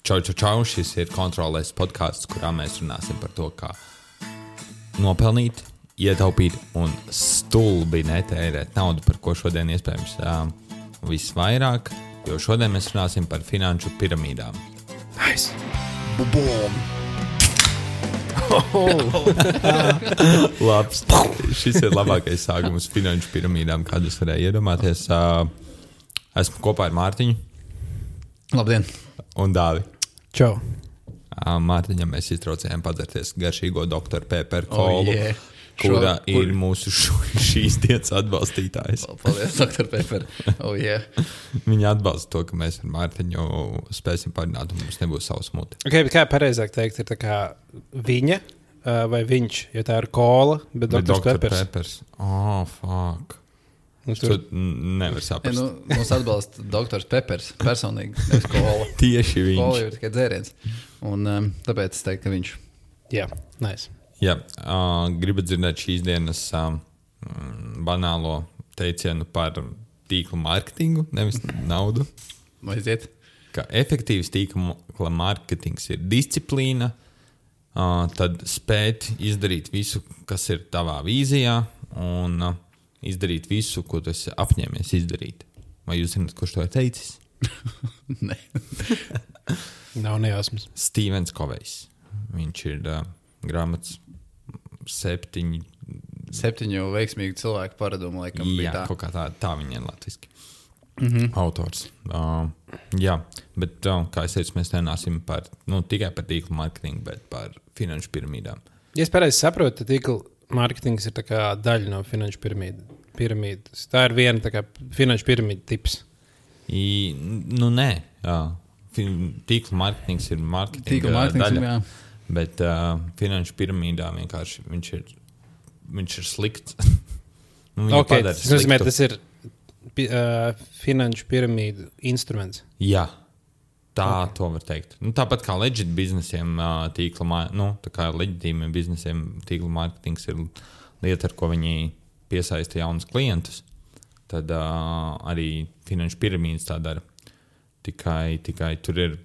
Čau, šis ir kontrolēs podcasts, kurā mēs runāsim par to, kā nopelnīt, ietaupīt un stulbi netērēt naudu, par ko šodien iespējams visvairāk, jo šodien mēs runāsim par finanšu piramīdām. Nice. Bum! Labs. Šis ir labākais sākums finanšu piramīdām, kādus varēja iedomāties. Esmu kopā ar Mārtiņu. Labdien! Un Dāvi. Čau. Mārtiņam mēs iztraucējām padzerties garšīgo Dr. Pepper kolu, kura ir mūsu šīs dienas atbalstītājs. Paldies, Dr. Pepper. Viņa atbalsta to, ka mēs ar Mārtiņu spēsim parunāt, un mums nebūs savs muti. Okay, bet kā pareizāk teikt, ir tā kā viņa vai viņš, ja tā ir kola, bet Dr. Peppers. Oh, fuck. To nevar saprast. Mums atbalsta Dr. Peppers personīgi, nevis kola. Tieši viņš. Kola jau ir tikai dzēriens. Un tāpēc es teiktu, ka viņš. Jā, nice. Jā, gribat dzirdēt šīs dienas banālo teicienu par tīkla mārketingu, nevis naudu. Aiziet. Ka efektīvs tīkla mārketings ir disciplīna, tad spēt izdarīt visu, kas ir tavā vīzijā, un izdarīt visu, ko tu esi apņēmies izdarīt. Vai jūs zināt, kurš to ir teicis? Nē. Nav nejausmas. Stevens Kovejs. Viņš ir grāmatas 7 veiksmīgu cilvēku paradumu, laikam, bija tā. Jā, kaut kā tā viņa ir latviski. Autors. Jā, bet kā es teicu, mēs nenāsim tikai par tīklu mārketingu, bet par finanšu piramīdām. Ja es pareizi saprotu, tad tīkla mārketings ir tā kā daļa no finanšu piramīdas. Tā ir viena tā kā finanšu piramīda tips. Nē. Tīkla mārketings ir mārketinga daļa. Bet finanšu piramīdā vienkārši viņš ir slikts. Okay, tas nozīmē, tas ir finanšu piramīdu instruments. Jā. To var teikt. Tāpat kā legit biznesiem tā kā leģitīmiem biznesiem tīkla mārketings ir lieta, ar ko viņi piesaista jaunus klientus, tad arī finanšu piramīdas tā dara. Tikai tur ir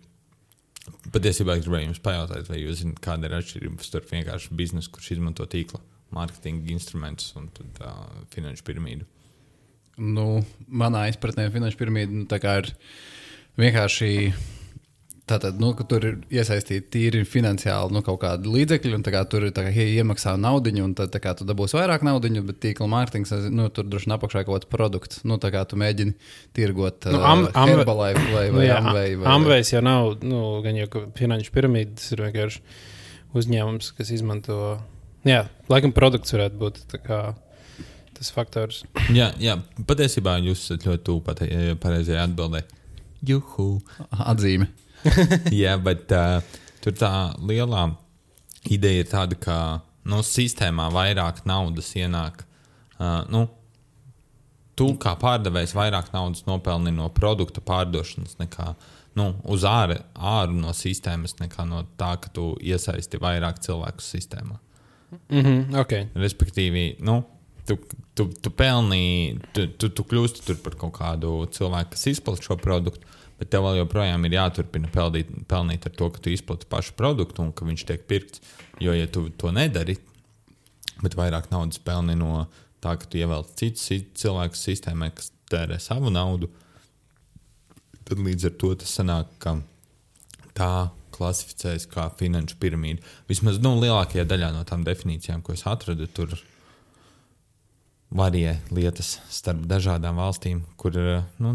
patiesībā es gribēju jums pajautāt, vai jūs zināt, kāda ir atšķirība starp vienkārši biznesu, kurš izmanto tīkla mārketinga instrumentus un tad finanšu piramīdu. Manā izpratnē finanšu piramīda tā kā ir vienkārši tātad, ka tur ir iesaistīti tīri finansiāli kaut kādi līdzekļi, un tā kā tur ir iemaksā naudiņu, un tad tā kā tu dabūsi vairāk naudiņu, bet tīkla mārketings, tur droši vien apakšā kaut kāds produkts. Tā kā tu mēģini tirgot Herbalife vai Amway. Amway jau nav, gan jau finanšu piramīdas ir vienkārši uzņēmums, kas izmanto, laikam produkts varētu būt tā kā tas faktors. Jā, patiesībā jūs esat ļoti tuvu pareizajā atbildē. Juhu. Atzīme. Jā, bet tur tā lielā ideja ir tāda, ka sistēmā vairāk naudas ienāk. Tu kā pārdevējs vairāk naudas nopelni no produkta pārdošanas nekā uz āru no sistēmas, nekā no tā, ka tu iesaisti vairāk cilvēku sistēmā. Okay. Respektīvi, tu pelni, tu kļūsti tur par kaut kādu cilvēku, kas izplata šo produktu, bet tev vēl joprojām ir jāturpina pelnīt ar to, ka tu izplati pašu produktu un ka viņš tiek pirkts. Jo, ja tu to nedari, bet vairāk naudas pelni no tā, ka tu ievelc citus cilvēkus sistēmai, kas tērē savu naudu, tad līdz ar to tas sanāk, ka tā klasificējas kā finanšu piramīda. Vismaz lielākajā daļā no tām definīcijām, ko es atradu, tur varie lietas starp dažādām valstīm, kur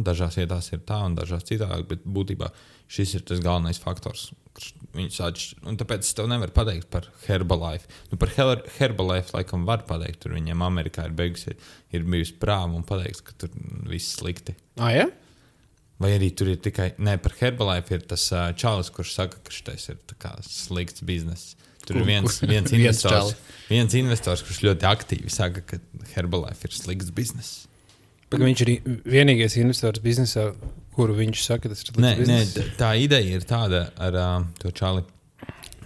dažās vietās ir tā un dažās citāk, bet būtībā šis ir tas galvenais faktors, kurš viņus atšķir. Un tāpēc es tev nevaru pateikt par Herbalife. Par Herbalife laikam var pateikt, tur viņiem Amerikā ir bijusi prāva un pateiks, ka tur viss slikti. Ja? Vai arī tur ir tikai, par Herbalife ir tas čalis, kurš saka, ka šitais ir tā kā slikts bizness. Tur ir viens investors, kurš ļoti aktīvi saka, ka Herbalife ir slikts bizness. Bet viņš ir vienīgais investors biznesā, kuru viņš saka, tas ir slikts bizness? Nē, tā ideja ir tāda ar to čali.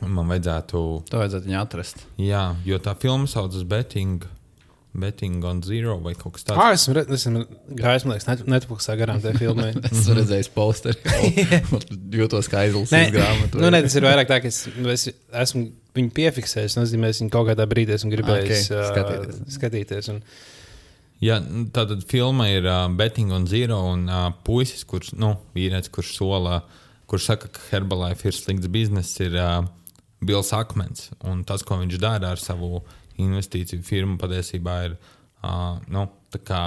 Man vajadzētu viņu atrast. Jā, jo tā filma saucas Betting Betting on Zero vai kaut kas tāds. Esmu gājis, man liekas, Netflixā garām tajā filmē. Es redzēju posteri. Jūtos kā aizlasījis grāmatu. Tas ir vairāk tā, ka es esmu viņu piefiksējis. Nozīmē, es viņu kaut kādā brīdī esmu gribējis skatīties. Jā, tātad filma ir Betting on Zero un puisis, vīrietis, kurš saka, ka Herbalife ir slikts bizness, ir Bills Akmens. Un tas, ko viņš dara ar savu investīciju firmu, patiesībā ir tā kā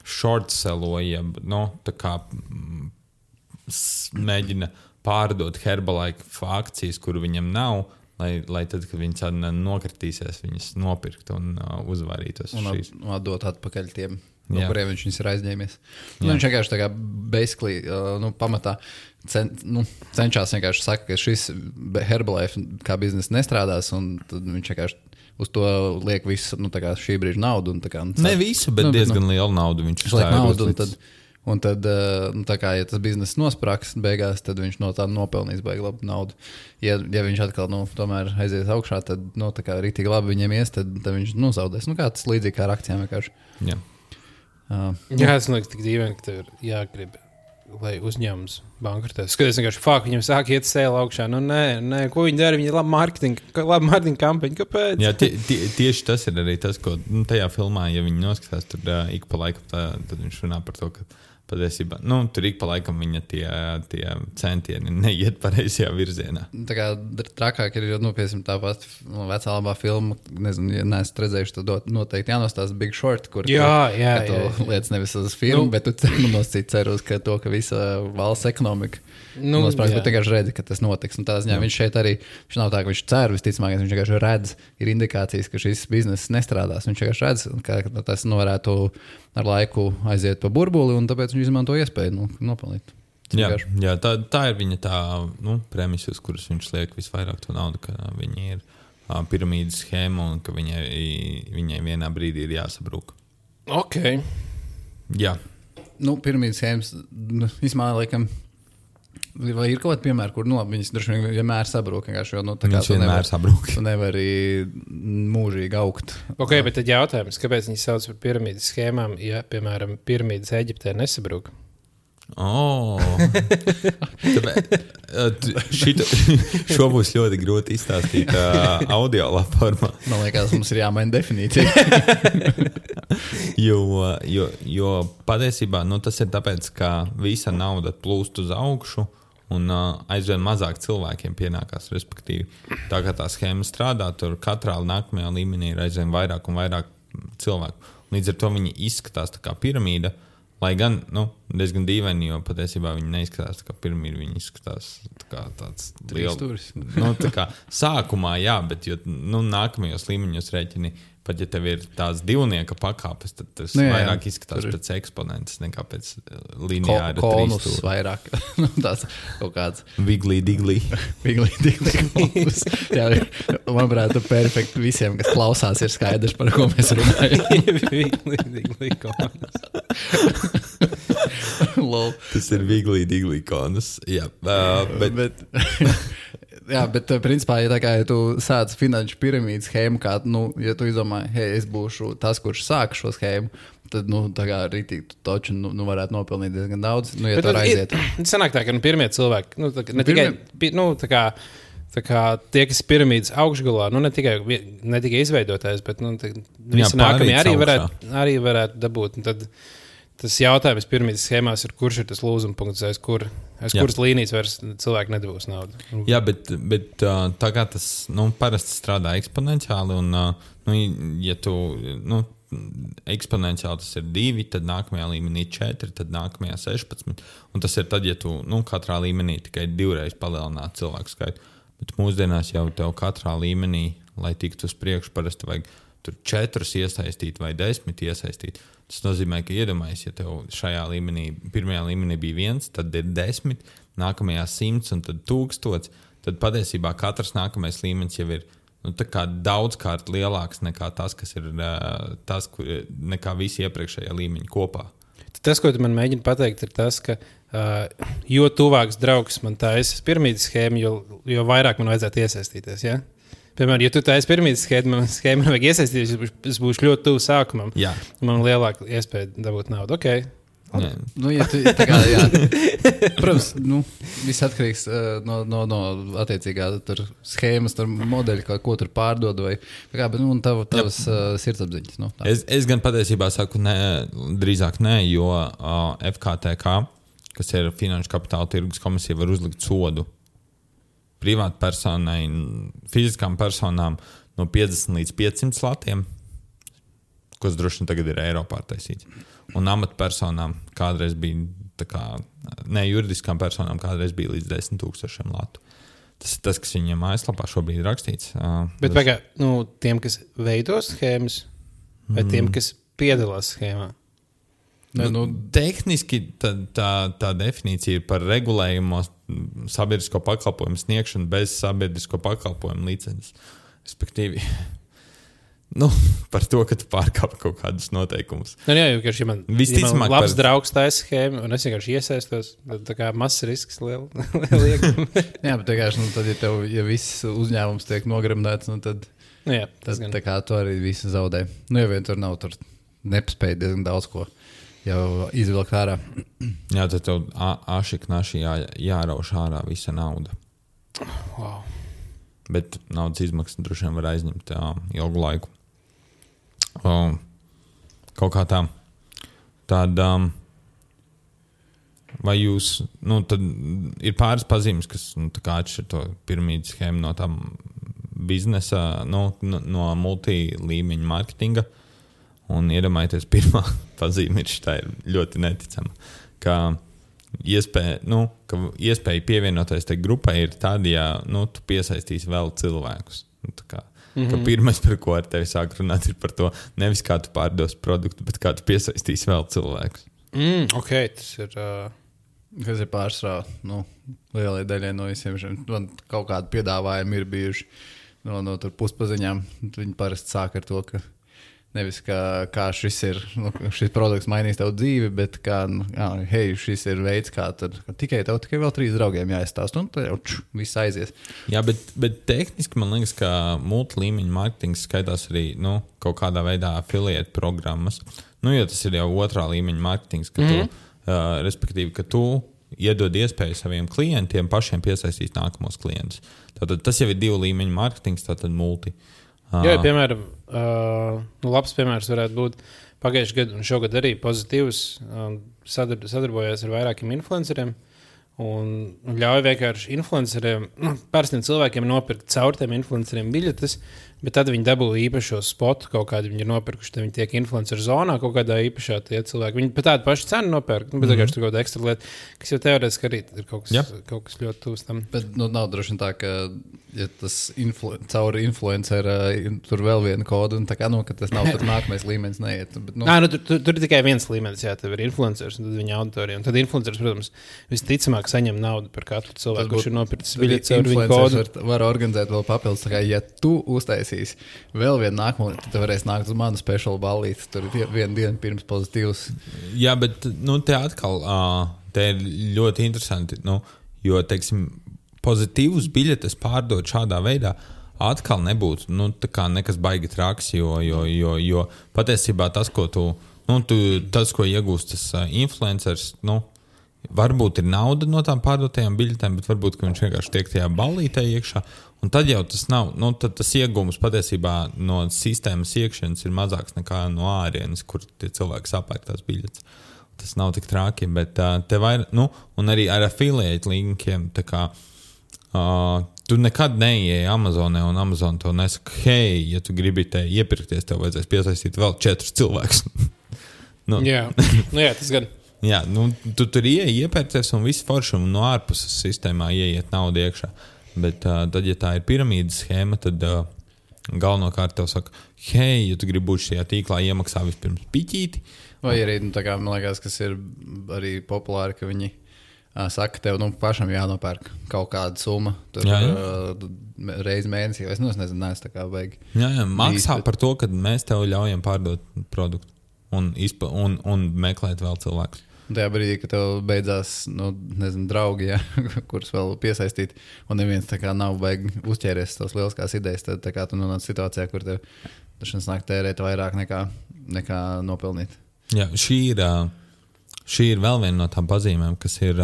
short selloja, tā kā mēģina pārdot Herbalife akcijas, kuru viņam nav, lai tad, kad viņi nokritīsies, viņas nopirkt un uzvarītos. Un atdot atpakaļ tiem, no kuriem viņš ir aizņēmies. Viņš vienkārši tā kā basically, pamatā cenšas vienkārši saka, ka šis Herbalife kā biznesa nestrādās, un tad viņš vienkārši uz to liek visu, šī brīža naudu. Ne visu, bet diezgan lielu naudu viņš uzstāja. Un tad, ja tas bizness nosprāks beigās, tad viņš no tā nopelnīs baigi labu naudu. Ja viņš atkal, tomēr aizies augšā, tad, rītīgi labi viņiem ies, tad viņš, zaudēs. Kā tas līdzīgi kā ar akcijām vienkārši. Jā. Tas liekas tik dīvaini, ka tev ir jāgrib, lai uzņēmums bankrotēs. Skaties vienkārši, viņam sāk iet sēla augšā. Nē, ko viņi dara? Viņi ir labi mārketinga kampaņa. Kāpēc? Jā, tieši tas ir arī tas, ko tajā filmā, ja viņi noskatās, tur ik pa laikam, tad viņš runā par to, ka patiesībā, tur ik pa laikam viņa tie centieni neiet pareizajā virzienā. Tā kā trakāk ir, piemēram, tā pati vecā labā filma, nezinu, ja neesat redzējuši, tad noteikti jānostāsta Big Short, kur tu lietas nevis uz filmu, bet tu nosacīt ceru uz to, ka visa valsts ekonomika nosprāks, bet vienkārši redzi, ka tas notiks. Un tādā ziņā viņš šeit arī, viņš nav tā, ka viņš cer visticamāk, viņš vienkārši redz, ir indikācijas, ka šis bizness nestrādās. Viņš vienkārši redz, ka tas varētu ar laiku aiziet pa burbuli, un tāpēc viņš izmanto iespēju nopelnīt. Jā, tā ir viņa tā premisa, uz kuras viņš liek visvairāk to naudu, ka viņi ir piramīdas schēma un ka viņai vienā brīdī ir jāsabrūk. Ok. Jā. Piramīdas schēmas, vismā laikam, vai ir kaut kāda piemēra, kur viņas droši vien vienmēr sabrūk. Viņas vienmēr sabrūk. Tu nevari mūžīgi augt. Ok, bet tad jautājums, kāpēc viņi sauc par piramīdas schēmām, ja, piemēram, piramīdas Eģiptē nesabrūk? Šo būs ļoti grūti izstāstīt audio formā. Man liekas, mums ir jāmaina definīcija. jo patiesībā tas ir tāpēc, ka visa nauda plūst uz augšu un aizvien mazāk cilvēkiem pienākās, respektīvi. Tā kā tā schēma strādā, tur katrā nākamajā līmenī ir aizvien vairāk un vairāk cilvēku. Līdz ar to viņi izskatās tā kā piramīda, lai gan diezgan dīvaini, jo patiesībā viņi neizskatās tā kā piramīda, viņi izskatās tā kā tāds liels. Tā kā sākumā, jā, bet nākamajos līmeņos rēķini, pat ja tev ir tās divnieka pakāpes, tad tas vairāk izskatās pēc eksponentes nekā pēc lineāra konus trīstūra. Vairāk. Tās kaut kāds. Wiggly diggly. Wiggly diggly konus. Jā, manuprāt, perfekti visiem, kas klausās, ir skaidrs, par ko mēs runājam. Wiggly diggly konus. Tas ir Wiggly diggly konus. Jā, bet jā, bet principā, ja tu sāc finanšu piramīdas schēmu, kā, ja tu izdomā, es būšu tas, kurš sāk šo schēmu, tad, tā kā rītīgi toču, varētu nopelnīt diezgan daudz, ja tu aiziet. Sanāk tā, ka pirmie cilvēki, tā kā tie, kas ir piramīdas augšgalā, ne tikai izveidotājs, bet, visi nākamie arī varētu dabūt, un tad tas jautājums piramīdas schēmās ir, kurš ir tas lūzuma punkts, aiz kuras līnijas vairs cilvēki nedabūs naudu. Jā, bet tā kā tas parasti strādā eksponenciāli, un ja tu eksponenciāli tas ir 2, tad nākamajā līmenī 4, tad nākamajā 16. Un tas ir tad, ja tu katrā līmenī tikai 2 reizes palielināt cilvēku skaitu. Bet mūsdienās jau tev katrā līmenī, lai tiktu uz priekšu, parasti vajag tur 4 iesaistīt vai 10 iesaistīt. Tas nozīmē, ka iedomājies, ja tev šajā līmenī, pirmajā līmenī bija 1, tad ir 10, nākamajā 100 un tad 1000, tad patiesībā katrs nākamais līmenis jau ir tā kā daudzkārt lielāks nekā tas, kas ir nekā visi iepriekšējā līmeņi kopā. Tas, ko tu man mēģini pateikt, ir tas, ka jo tuvāks draugs man taisa piramīdas schēma, jo vairāk man vajadzētu iesaistīties, ja? Piemēram, ja tu taisi pirmīs schēmu vajag iesaistīties, es būšu ļoti tuvu sākumam. Jā. Man lielāka iespēja dabūt naudu. Okay. Nu, ja tu, tā kā, jā. Protams, viss atkarīgs no attiecīgā tur schēmas, tur modeļa, ko tur pārdod, vai kā, bet, tavas sirdsapziņas. Es gan patiesībā saku, drīzāk nē, jo FKTK, kas ir Finanšu kapitāla tirgus komisija, var uzlikt sodu privātpersonai, fiziskām personām no 50 līdz 500 latiem, kas droši vien tagad ir Eiropā taisīts. Un amatpersonām kādreiz bija, juridiskām personām kādreiz bija līdz 10,000 latu. Tas ir tas, kas viņiem mājaslapā šobrīd ir rakstīts. Bet tiem, kas veido schēmas, vai tiem, kas piedalās schēmā? Tehniski tā definīcija ir par regulējumu sabiedrisko pakalpojumu sniegšanu bez sabiedrisko pakalpojumu licences. Respektīvi, par to, ka tu pārkāpi kaut kādus noteikumus. Jā, jo man labs draugs taisa schēmu, un es vienkārši iesaistos, tā kā mazs risks liela. Jā, bet vienkārši, tad, ja viss uzņēmums tiek nogramdēts, tad tā kā tu arī visu zaudē. Ja vien tur nav, tur nepaspēj diezgan daudz ko jau izvilkt ārā. Jā, tad tev ašiknaši jārauš ārā visa nauda. Wow. Bet naudas izmaksas droši vien var aizņemt ilgu laiku. Kaut kā tāda, vai jūs, tad ir pāris pazīmes, kas tā kā atšķir to piramīdas schēmu no tām biznesa, no multilīmeņa marketinga. Un iedomājieties, pirmā pazīme ir ļoti neticama, ka iespēja pievienoties tai grupai ir tāda, ja tu piesaistīsi vēl cilvēkus. Ka pirmais, par ko ar tevi sāk runāt, ir par to, nevis kā tu pārdos produktu, bet kā tu piesaistīsi vēl cilvēkus. Ok, tas ir... Kas ir pārsvarā, lielai daļai no visiem šiem. Man kaut kādi piedāvājumi ir bijuši no tur puspaziņām. Viņi parasti sāk ar to, ka nevis kā šis produkts mainīs tavu dzīvi, bet kā, hei, šis ir veids, kā tad tikai vēl 3 draugiem jāizstāst, un tad jau viss aizies. Jā, bet tehniski man liekas, ka multilīmeņa marketings skaitās arī kaut kādā veidā affiliate programmas. Jo tas ir jau otrā līmeņa marketings, ka tu, respektīvi, ka tu iedod iespēju saviem klientiem pašiem piesaistīt nākamos klientus. Tātad tas jau ir 2 līmeņa marketings, tātad multi. Jā, piemēram, labs piemērs varētu būt pagājušajā gadā un šogad arī pozitīvs. Sadarbojās ar vairākiem influenceriem un ļauj vienkārši influenceriem, parastiem cilvēkiem nopirkt caur tiem influenceriem biļetes, bet tad viņi dabū īpašo spotu, kaut kādu viņi ir nopirkuši, tad viņi tiek influenceru zonā kaut kādā īpašā tie cilvēki. Viņi pat tādu pašu cenu nopērk, bet vienkārši tur kaut kāda ekstra lieta, kas jau teorētiski arī ir kaut kas ļoti tūs tam. Bet nav droši tā, ka ja tas caur influenceru tur vēl viena koda, un tā kā, ka tas nav tur nākamais līmenis neiet. Bet, tur ir tikai viens līmenis, jā, tev ir influencers un tad viņa auditorija. Un tad influencers, protams, visticamāk saņem naudu par katru cilvēku, kurš ir nopircis biļetes caur viņu kodu. Var organizēt vēl papildus, tā kā, ja tu uztaisīs vēl vienu nākamo, tad tu varēsi nākt uz manu speciālu ballīti. Tur ir viena diena pirms pozitīvs. Jā, bet te atkal te ir ļoti interesanti, jo, teiksim, pozitīvus biļetes pārdot šādā veidā atkal nebūtu nekas baigi traks, jo patiesībā tas, ko tas, ko iegūst tas influencers, varbūt ir nauda no tām pārdotajām biļetēm, bet varbūt, ka viņš vienkārši tiek tajā ballītē iekšā. Un tad jau tas nav, tad tas iegūms patiesībā no sistēmas iekšienes ir mazāks nekā no ārienes, kur tie cilvēki sapērk tās biļetes. Tas nav tik trāki, bet te vairāk, un arī ar affiliate linkiem, tā kā, tu nekad neieeji Amazonē, un Amazon tev nesaka, hei, ja tu gribi te iepirkties, tev vajadzēs piesaistīt vēl 4 cilvēkus. Jā, tas gan. Jā, tu tur iepērcies un viss forši, un no ārpuses sistēmā ieiet naudu iekšā. Bet tad, ja tā ir piramīdas schēma, tad galvenokārt tev saka, hei, ja tu gribi būt šajā tīklā, iemaksā vispirms piķīti. Vai arī, tā kā, man liekas, kas ir arī populāri, ka viņi saka, tev pašam jānopērk kaut kāda summa. Tur reizi mēnesī, vai es nezinu, tā kā vajag. Jā, maksā par to, ka mēs tev ļaujam pārdot produktu un meklēt vēl cilvēkus. Un tajā brīdī, kad tev beidzās, draugi, ja, kurus vēl piesaistīt, un neviens tā kā nav baigi uzķēries tās lieliskās idejas, tad tā kā tu nonāc situācijā, kur tev dažreiz nāk tērēt vairāk nekā nopelnīt. Jā, šī ir vēl viena no tām pazīmēm, kas ir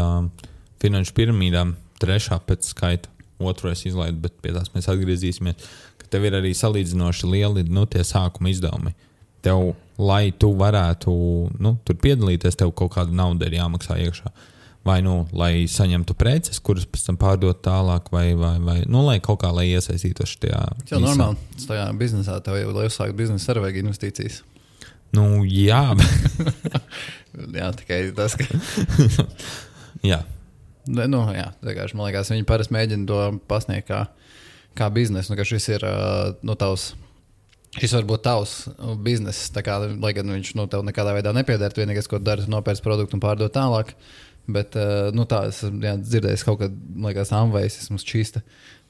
finanšu piramīdām, 3. pēc skaita, 2. izlaid, bet pie tās mēs atgriezīsimies, ka tev ir arī salīdzinoši lieli, tie sākuma izdevumi. Tev, lai tu varētu tur piedalīties, tev kaut kāda nauda ir jāmaksā iekšā. Vai, lai saņemtu preces, kuras pēc tam pārdot tālāk, vai lai kaut kā, lai iesaistītos šajā. Tas jau normāli. Tajā biznesā tev jau, lai uzsākt biznesu, arī vajag investīcijas. Jā. Jā, tikai tas, ka... jā. Jā, vienkārši, man liekas, viņi parasti mēģina to pasniegt kā biznesu, ka šis ir tavs. Šis var būt tavs bizness, tā kā, lai gan viņš tev nekādā veidā nepiedērt, vienīgais, ko dari, nopērts produktu un pārdot tālāk. Bet, tā, es dzirdēju kaut kad, liekas, Amvejs, esmu šķīsta,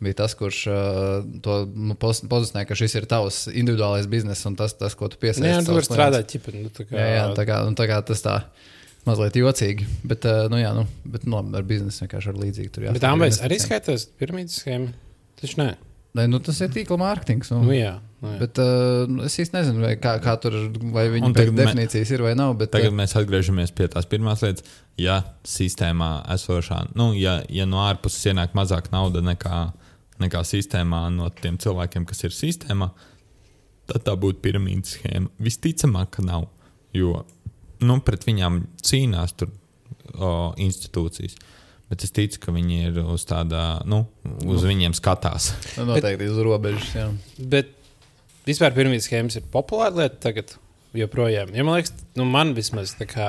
bija tas, kurš to pozicionē, ka šis ir tavs individuālais bizness un tas ko tu piesaisti. Jā, tu vari strādāt ķipi. Tā kā tas tā mazliet jocīgi, bet, bet ar biznesu vienkārši ar līdzīgi tur jāsaka. Bet Amvejs arī skaitās piramīdas schēma? Taču nē. Tas ir tīkla mārketings. Jā. Bet es īsti nezinu, kā tur, vai viņa definīcijas ir vai nav. Bet, tagad mēs atgriežamies pie tās pirmās lietas. Ja sistēmā esošā, ja no ārpuses ienāk mazāk nauda nekā sistēmā no tiem cilvēkiem, kas ir sistēmā, tad tā būtu piramīdas schēma. Visticamāk, ka nav, jo pret viņām cīnās tur institūcijas. Bet es ticu, ka viņi ir uz tāda, uz viņiem skatās. Noteikti uz robežas, jā. Bet vispār piramīdas schēmas ir populāra lieta tagad joprojām. Ja man liekas, man vismaz tā kā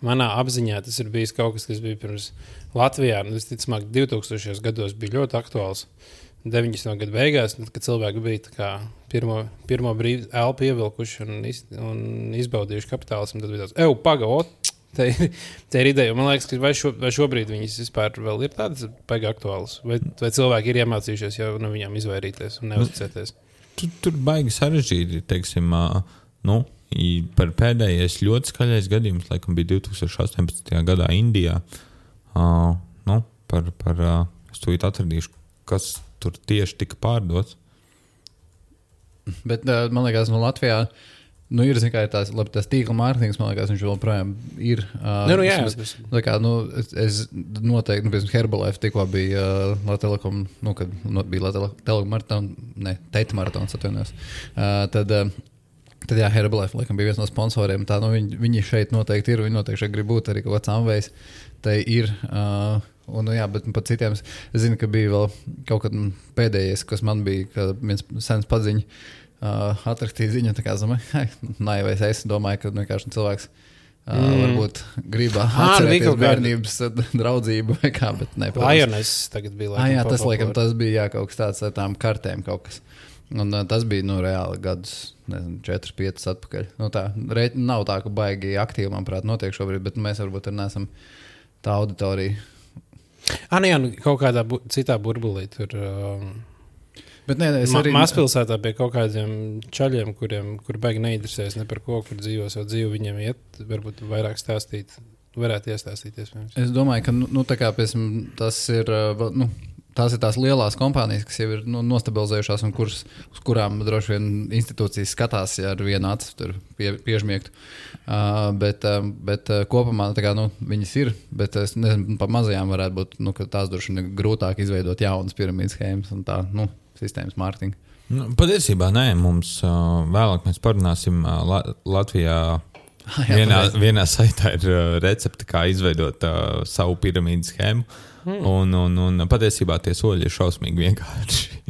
manā apziņā tas ir bijis kaut kas bija pirms Latvijā. Visticamāk, 2000. gados bija ļoti aktuāls. 90. gadu beigās, kad cilvēki bija tā kā pirmo brīvu elpu ievilkuši un izbaudījuši kapitālismu, tad bija tāds, pagaot! Tā ir ideja. Man liekas, ka vai šobrīd viņas vispār vēl ir tādas baigi aktuālas? Vai cilvēki ir iemācījušies jau no viņām izvairīties un neuzticēties? Tur baigi sarežģīti, teiksim, par pēdējais ļoti skaļais gadījums, laikam bija 2018. gadā Indijā. Es tūlīt atradīšu, kas tur tieši tika pārdots. Bet man liekas, Latvijā ir tās tīkla mārketings, man liekas, viņš joprojām ir. Es noteikti, piemēram, Herbalife tikko bija Latvijas Telekom, kad bija Latvijas Telekom maratona, Teita maratons atvainojos. Tad jā, Herbalife, laikam, bija viens no sponsoriem. Tā, viņi šeit noteikti ir, viņi noteikti šeit grib būt arī kaut kāds Amvejs. Tai ir, bet pat citiem, es zinu, ka bija vēl kaut kad pēdējais, kas man bija, ka viens sens paziņa, atraktīja ziņu, tā kā naivais es domāju, ka vienkārši cilvēks varbūt gribā atcerēties bērnības draudzību vai kā, bet ne. Lioness tagad bija. Jā, tas laikam, tas bija kaut kas tāds ar tām kartēm kaut kas. Un tas bija, reāli gadus, 4-5 atpakaļ. Tā, nav tā, ka baigi aktīvi, manuprāt, notiek šobrīd, bet mēs varbūt arī neesam tā auditorija. Kaut kādā citā burbulī tur... Bet es arī... Mazpilsētā pie kaut kādiem čaļiem, kuri baigi neinteresēs ne par ko, kur dzīvo savu dzīvi, viņiem iet, varbūt vairāk stāstīt, varētu iestāstīties. Es domāju, ka, tā kā, piemēram, tas ir, tās ir tās lielās kompānijas, kas jau ir nostabilizējušās un uz kurām droši vien institūcijas skatās, ja ar vienu acu tur piežmiegtu. Bet kopumā, tā kā, viņas ir, bet es nezinu, pa mazajām varētu būt, ka tās droši vien grūtāk izveidot jaunas piramīdas schēmas un tā, sistēmas mārketinga. Patiesībā nē, mums vēlāk mēs parunāsim Latvijā. Vienā saitā ir recepte, kā izveidot savu piramīdas schēmu. Un patiesībā tie soļi ir šausmīgi vienkārši.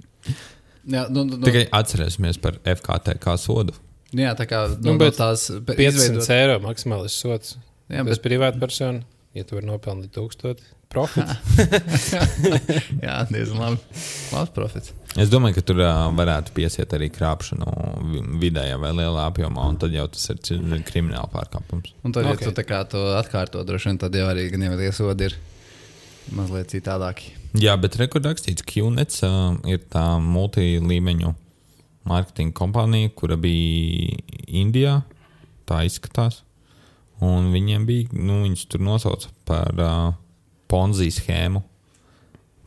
Jā, Tikai atcerēsimies par FKTK sodu. Jā, tā kā tās 500 eiro maksimālis sods. Jā, bez privāta persona, ja tu vari nopelnīt 1000 profits. Jā, diezgan labi. Labs profits. Es domāju, ka tur varētu piesiet arī krāpšanu vidējā vai lielā apjomā, un tad jau tas ir krimināla pārkāpums. Un tad, ja tu tā kā to atkārto, droši vien, tad jau arī gan jau tie sodi ir mazliet citādāki. Jā, bet rekordakstīts QNets ir tā multilīmeņu mārketinga kompānija, kura bija Indijā, tā izskatās. Un viņiem bija, viņus tur nosauca par Ponzi schēmu.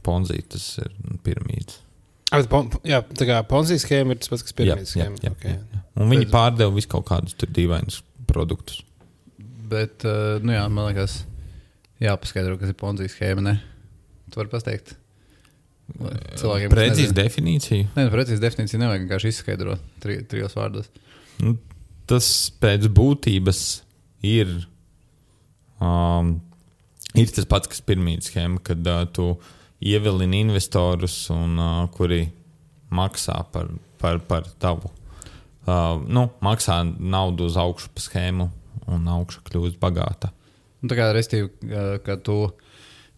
Ponzi, tas ir piramīdas. Jā, tā kā Ponzi schēma ir tas pats, kas piramīdas schēma. Jā. Un viņi pārdeva visu kaut kādus tur dīvainus produktus. Bet, man liekas, jāpaskaidro, kas ir Ponzi schēma, ne? Tu vari pasteigt? Precīzi definīciju? Nē, precīzi definīciju nevajag vienkārši izskaidrot trijos vārdos. Tas pēc būtības ir tas pats, kas piramīdas schēma, kad tu ievilini investorus, un, kuri maksā par tavu. Maksā naudu uz augšu pa schēmu, un augša kļūst bagāta. Tā kā restīvi, ka tu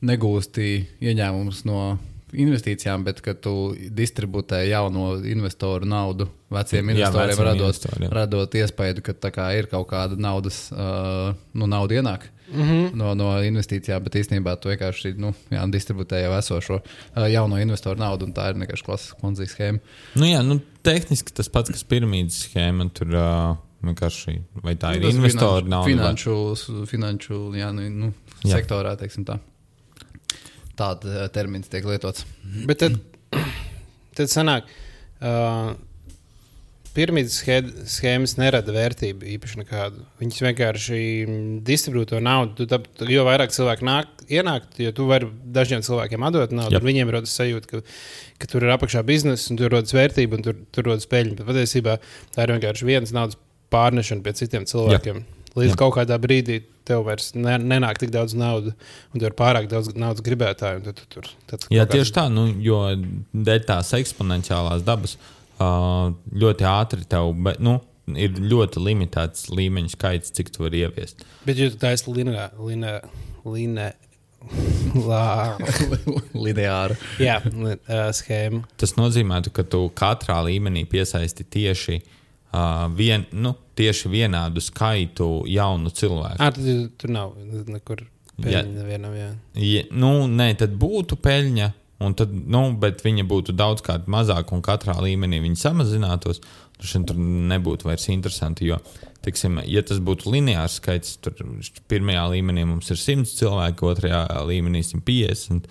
negūsti ieņēmumus no investīcijām, bet ka tu distributē jauno investoru naudu veciem investoriem, radot iespēju, ka tā kā ir kaut kāda naudas, nauda ienāk no investīcijām, bet īstenībā tu vienkārši distributē jau esošo jauno investoru naudu, un tā ir vienkārši klasiska Ponzi schēma. Tehniski tas pats, kas piramīdas schēma, tur vienkārši, vai tā ir investoru nauda? Finanšu sektorā, teiksim tā. Tāda termins tiek lietots. Bet tad sanāk, piramīdas schēmas nerada vērtību īpaši nekādu. Viņas vienkārši distribūto to naudu. Jo vairāk cilvēku ienāk, jo tu vari dažiem cilvēkiem atdot naudu, un viņiem rodas sajūta, ka tur ir apakšā biznesa, un tur rodas vērtība, un tur rodas peļņa. Bet patiesībā tā ir vienkārši vienas naudas pārnešana pie citiem cilvēkiem. Līdz kaut kādā brīdī tev vairs nenāk tik daudz naudas, un tev ir pārāk daudz naudas gribētāju. Tieši tā, jo dēļ tās eksponenciālās dabas ļoti ātri tev, ir ļoti limitēts līmeņu skaits, cik tu vari ieviest. Bet, ja tu taisi lineāru schēmu. Tas nozīmē, ka tu katrā līmenī piesaisti tieši tieši vienādu skaitu jaunu cilvēku. Tur nav nekur peļņa nevienam, Nē, tad būtu peļņa, un tad, bet viņa būtu daudzkārt mazāk, un katrā līmenī viņa samazinātos. Tur nebūtu vairs interesanti, jo, teiksim, ja tas būtu lineārs skaits, tur pirmajā līmenī mums ir 100 cilvēki, otrajā līmenī 150,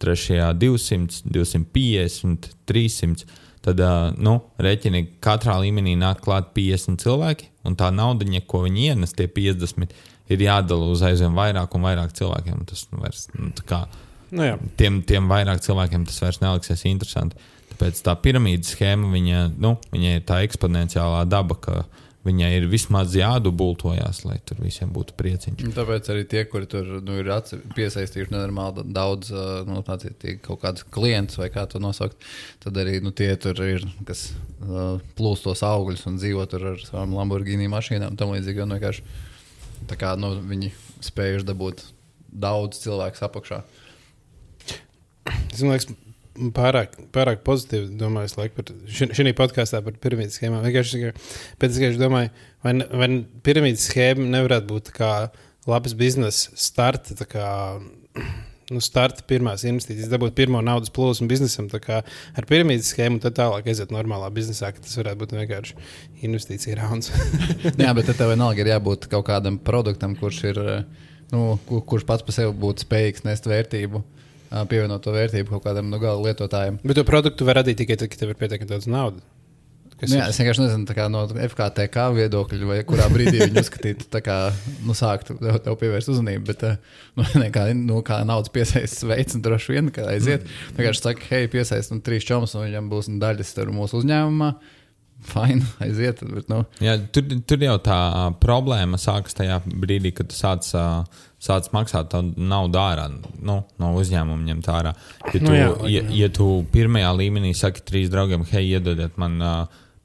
trešajā 200, 250, 300. Tad, rēķini katrā līmenī nāk klāt 50 cilvēki, un tā naudiņa, ko viņi ienes, tie 50, ir jādala uz aizvien vairāk un vairāk cilvēkiem. Tas vairs, tiem vairāk cilvēkiem tas vairs neliksies interesanti. Tāpēc tā piramīdas schēma, viņai ir tā eksponenciālā daba, ka viņai ir vismaz jādubultojās, lai tur visiem būtu prieciņš. Tāpēc arī tie, kuri tur ir piesaistījuši nenormāli daudz kaut kādus klientus vai kā to nosaukt, tad arī tie tur ir, kas plūst tos augļus un dzīvo tur ar savām Lamborghini mašīnām. Tam līdzīgi, un vienkārši tā kā viņi spējuši dabūt daudz cilvēku apakšā. Es liekas, pārāk pozitīvi domāju par šī podkāstā par piramīdas schēmām. Vienkārši domāju, vai piramīdas schēma nevarētu būt kā labs biznesa starta, starta pirmās investīcijas, dabūt pirmo naudas plūsmu biznesam, ar piramīdas schēmu, un tad tālāk aiziet normālā biznesā, ka tas varētu būt vienkārši investīcija rauns. Jā, bet tev vienalga ir jābūt kaut kādam produktam, kurš ir, kurš pats par sevi būtu spējīgs nest vērtību. Pievienot to vērtību kaut kādam gala lietotājiem. Bet to produktu var radīt tikai tad, kad tev ir pietiekami daudz naudas. Es vienkārši nezinu, no FKTK viedokļa, vai kurā brīdī viņi uzskatītu, sāktu tev pievērst uzmanību, bet kā naudas piesaistas veids, un droši vien, kad aiziet, vienkārši saka, hei, piesaist 3 čomus, un viņam būs daļas mūsu uzņēmumā. Fine, aiziet. Bet, Jā, tur jau tā problēma sākas tajā brīdī, kad tu sāc maksāt naudu ārā, no uzņēmuma ņemt ārā. Ja tu pirmajā līmenī saki 3 draugiem, hei, iedodiet man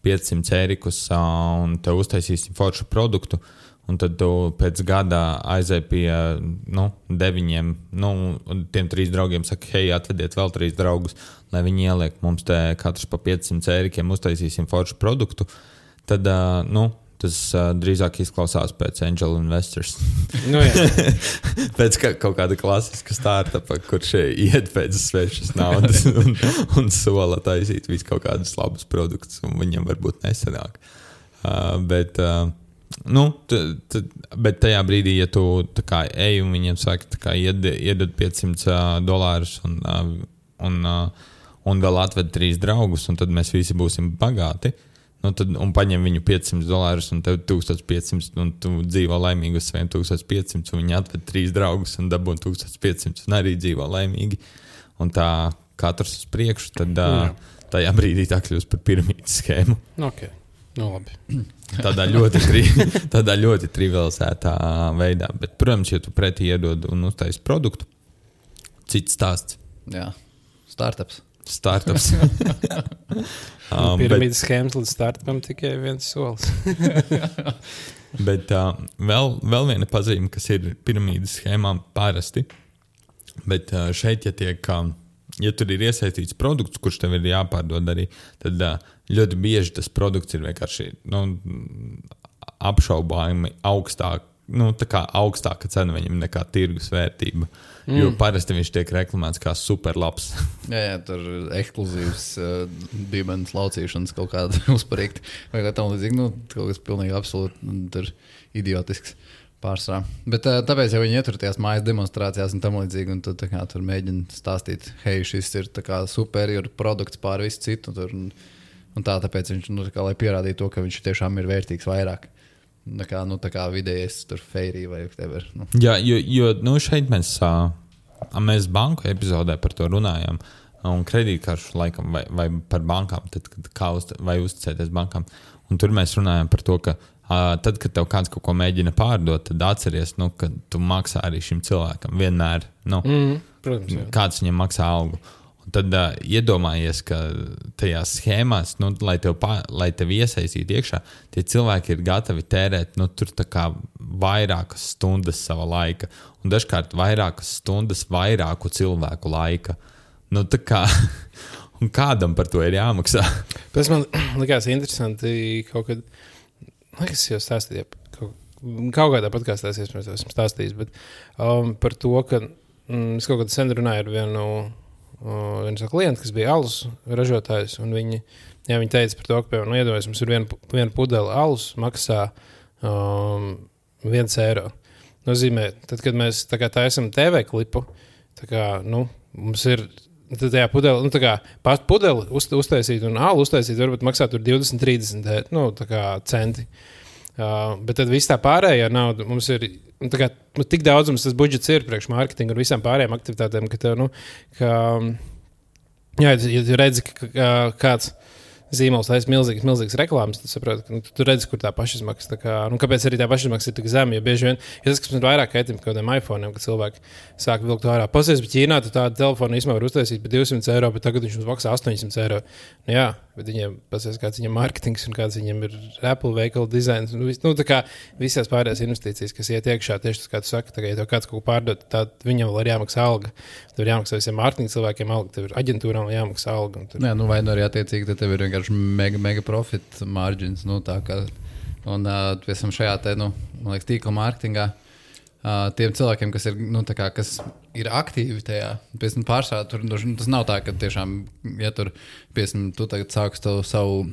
500 eirikus un te uztaisīsim foršu produktu, un tad tu pēc gada aizēji pie 9, un tiem 3 draugiem saka, hei, atvediet vēl 3 draugus, lai viņi ieliek mums te katrs pa 500 eirikiem, uztaisīsim foršu produktu, tad, tas drīzāk izklausās pēc angel investors. Pēc kaut kāda klasiska startupa, kurš iet pēc svešas naudas un sola taisīt visu kaut kādus labus produktus, un viņam varbūt nesanāk. Bet Bet tajā brīdī, ja tu ej un viņiem saka, iedod $500 un vēl atved 3 draugus, un tad mēs visi būsim bagāti, un paņem viņu $500 un tev 1500, un tu dzīvo laimīgi uz saviem 1500, un viņi atved 3 draugus un dabūn 1500, un arī dzīvo laimīgi. Un tā katrs uz priekšu, tad tajā brīdī tā kļūst par piramīdas schēmu. Ok, labi. Tādā ļoti trivializētā veidā. Bet, protams, ja tu pretī iedod un uztais produktu, cits stāsts. Jā, startups. Piramīdas schēmas līdz startupam tikai viens solis. Bet vēl viena pazīme, kas ir piramīdas schēmām parasti, bet šeit, ja tur ir iesaistīts produkts, kurš tev ir jāpārdod arī, tad ļoti bieži tas produkts ir vienkārši apšaubāmi augstāk, augstāka cena viņam nekā tirgus vērtība. Jo parasti viņš tiek reklamēts kā superlabs. jā, tur ekskluzīvs dīmenes laucīšanas kaut kāda uzparīgta. Vai kā tam līdzīgi, kaut kas pilnīgi absolūti tur idiotisks pārsvarā. Bet tāpēc, ja viņi ieturties mājas demonstrācijās un tam līdzīgi, un tad tur mēģina stāstīt, hei, šis ir superior produkts pār visu citu, un tāpēc viņš, lai pierādītu to, ka viņš tiešām ir vērtīgs vairāk. Tā kā vidējais tur feirī vai whatever. Jā, jo šeit mēs banku epizodē par to runājām, un kredītkaršu laikam vai par bankām, tad, vai uzticēties bankām. Un tur mēs runājām par to, ka tad, kad tev kāds kaut ko mēģina pārdot, tad atceries, ka tu maksā arī šim cilvēkam vienmēr. Protams, jā. Kāds viņam maksā algu. Un tad iedomājies, ka tajās schēmās, lai tevi iesaistītu iekšā, tie cilvēki ir gatavi tērēt tur vairākas stundas sava laika. Un dažkārt vairākas stundas vairāku cilvēku laika. Un kādam par to ir jāmaksā? Pēc man likās interesanti kaut kad, es jau stāstīju, kaut kādā podkāstā esmu stāstījis, bet par to, ka es kaut kad sen runāju ar viens klients, kas bija alus ražotājs, un viņi teica par to, ka, iedomājies, mums ir viena pudele alus, maksā €1. Nozīmē, tad, kad mēs taisam TV klipu, mums ir tajā pudeli, pat pudeli uztaisīt un alu uztaisīt, varbūt maksā tur 20-30 centi. Bet tad viss tā pārējā nauda mums ir tik daudz mums tas budžets ir priekš mārketinga un visām pārējām aktivitātēm, ka tev, ja redzi, ka kāds zīmols taisa milzīgas reklāmas, tad saproti, ka tu redzi, kur tā pašizmaksa. Kāpēc arī tā pašizmaksa ir tik zema? Jo bieži vien, tas, kas man ir vairāk kaitim kaut kādiem iPhone'iem, kad cilvēki sāk vilkt ārā. Pasies, bet Ķīnā tu tādu telefonu īstenībā var uztaisīt par €200, bet tagad viņš mums maksā €800. Jā, bet viņiem pasies, kāds viņam mārketings un kāds viņam ir Apple veikala dizains. Tā kā visās pārējās investīcijas, kas iet iekšā, tieši tas, kā tu saki, ja tev kāds kaut ko pārdod, tad viņam vēl ir jāmaksā alga. Tev ir jāmaksā visiem mārketinga cilvēkiem alga, tev ir aģentūrām jāmaksā alga. Jā, vai arī attiecīgi, tad tev ir vienkārši mega profit margins. Un šajā man liekas, tīkla mārketingā tiem cilvēkiem, kas ir, kas ir aktīvi tajā, pārsvarā tur tas nav tā, ka tiešām, ja tur, tu tagad sāksi savu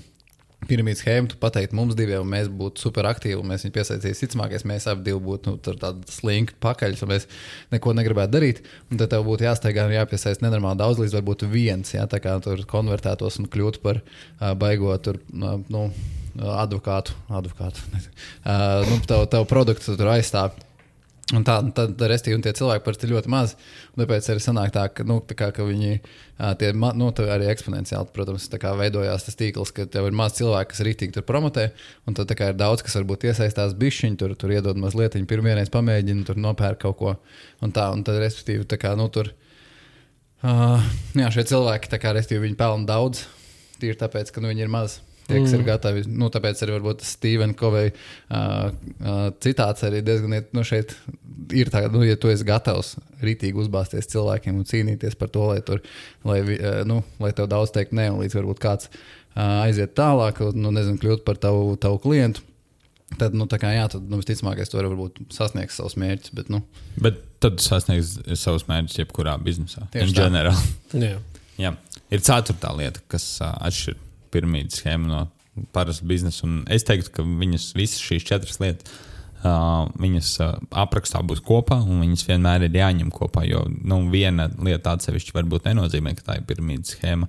piramīdas schēmu, tu pateikt mums diviem, un mēs būtu super aktīvi, un mēs viņu piesaistīs cicamākais, mēs abi divi būtu tādi slinki pakaļs, un mēs neko negribētu darīt, un tad tev būtu jāsteigā un jāpiesaist nenormāli daudz, līdz varbūt viens, tā kā tur konvertētos un kļūtu par baigo tur, advokātu. Tavu produktu tur aizstāv. Un tad tie cilvēki parasti ir ļoti mazi. Tāpēc arī sanāk tā, ka viņi arī eksponenciāli, protams, veidojās tas tīkls, ka tev ir maz cilvēki, kas rītīgi tur promotē, un tad ir daudz, kas varbūt iesaistās bišķiņi, tur iedod mazlietiņu, pirmvienreiz pamēģina, tur nopērk kaut ko. Un tad, respektīvi, tur šie cilvēki, respektīvi, viņi pelna daudz, tīri tāpēc, ka viņi ir mazi. Tie, kas ir gatavi, tāpēc arī varbūt Stephen Covey citāts arī diezgan, šeit ir tā, ja tu esi gatavs rītīgi uzbāzties cilvēkiem un cīnīties par to, lai tev daudz teikt ne, un līdz varbūt kāds aiziet tālāk, kļūt par tavu klientu, tad, tad visticamākais tu vari varbūt sasniegt savus mērķus, Bet tad tu sasniegs savus mērķus jebkurā biznesā, in general. Jā. Jā. Ir ceturtā lieta, kas atšķir piramīdas schēmu no parastu biznesu. Un es teiktu, ka viņas visas šīs 4 lietas, viņas aprakstā būs kopā, un viņas vienmēr ir jāņem kopā, jo viena lieta atsevišķi varbūt nenozīmē, ka tā ir piramīdas schēma,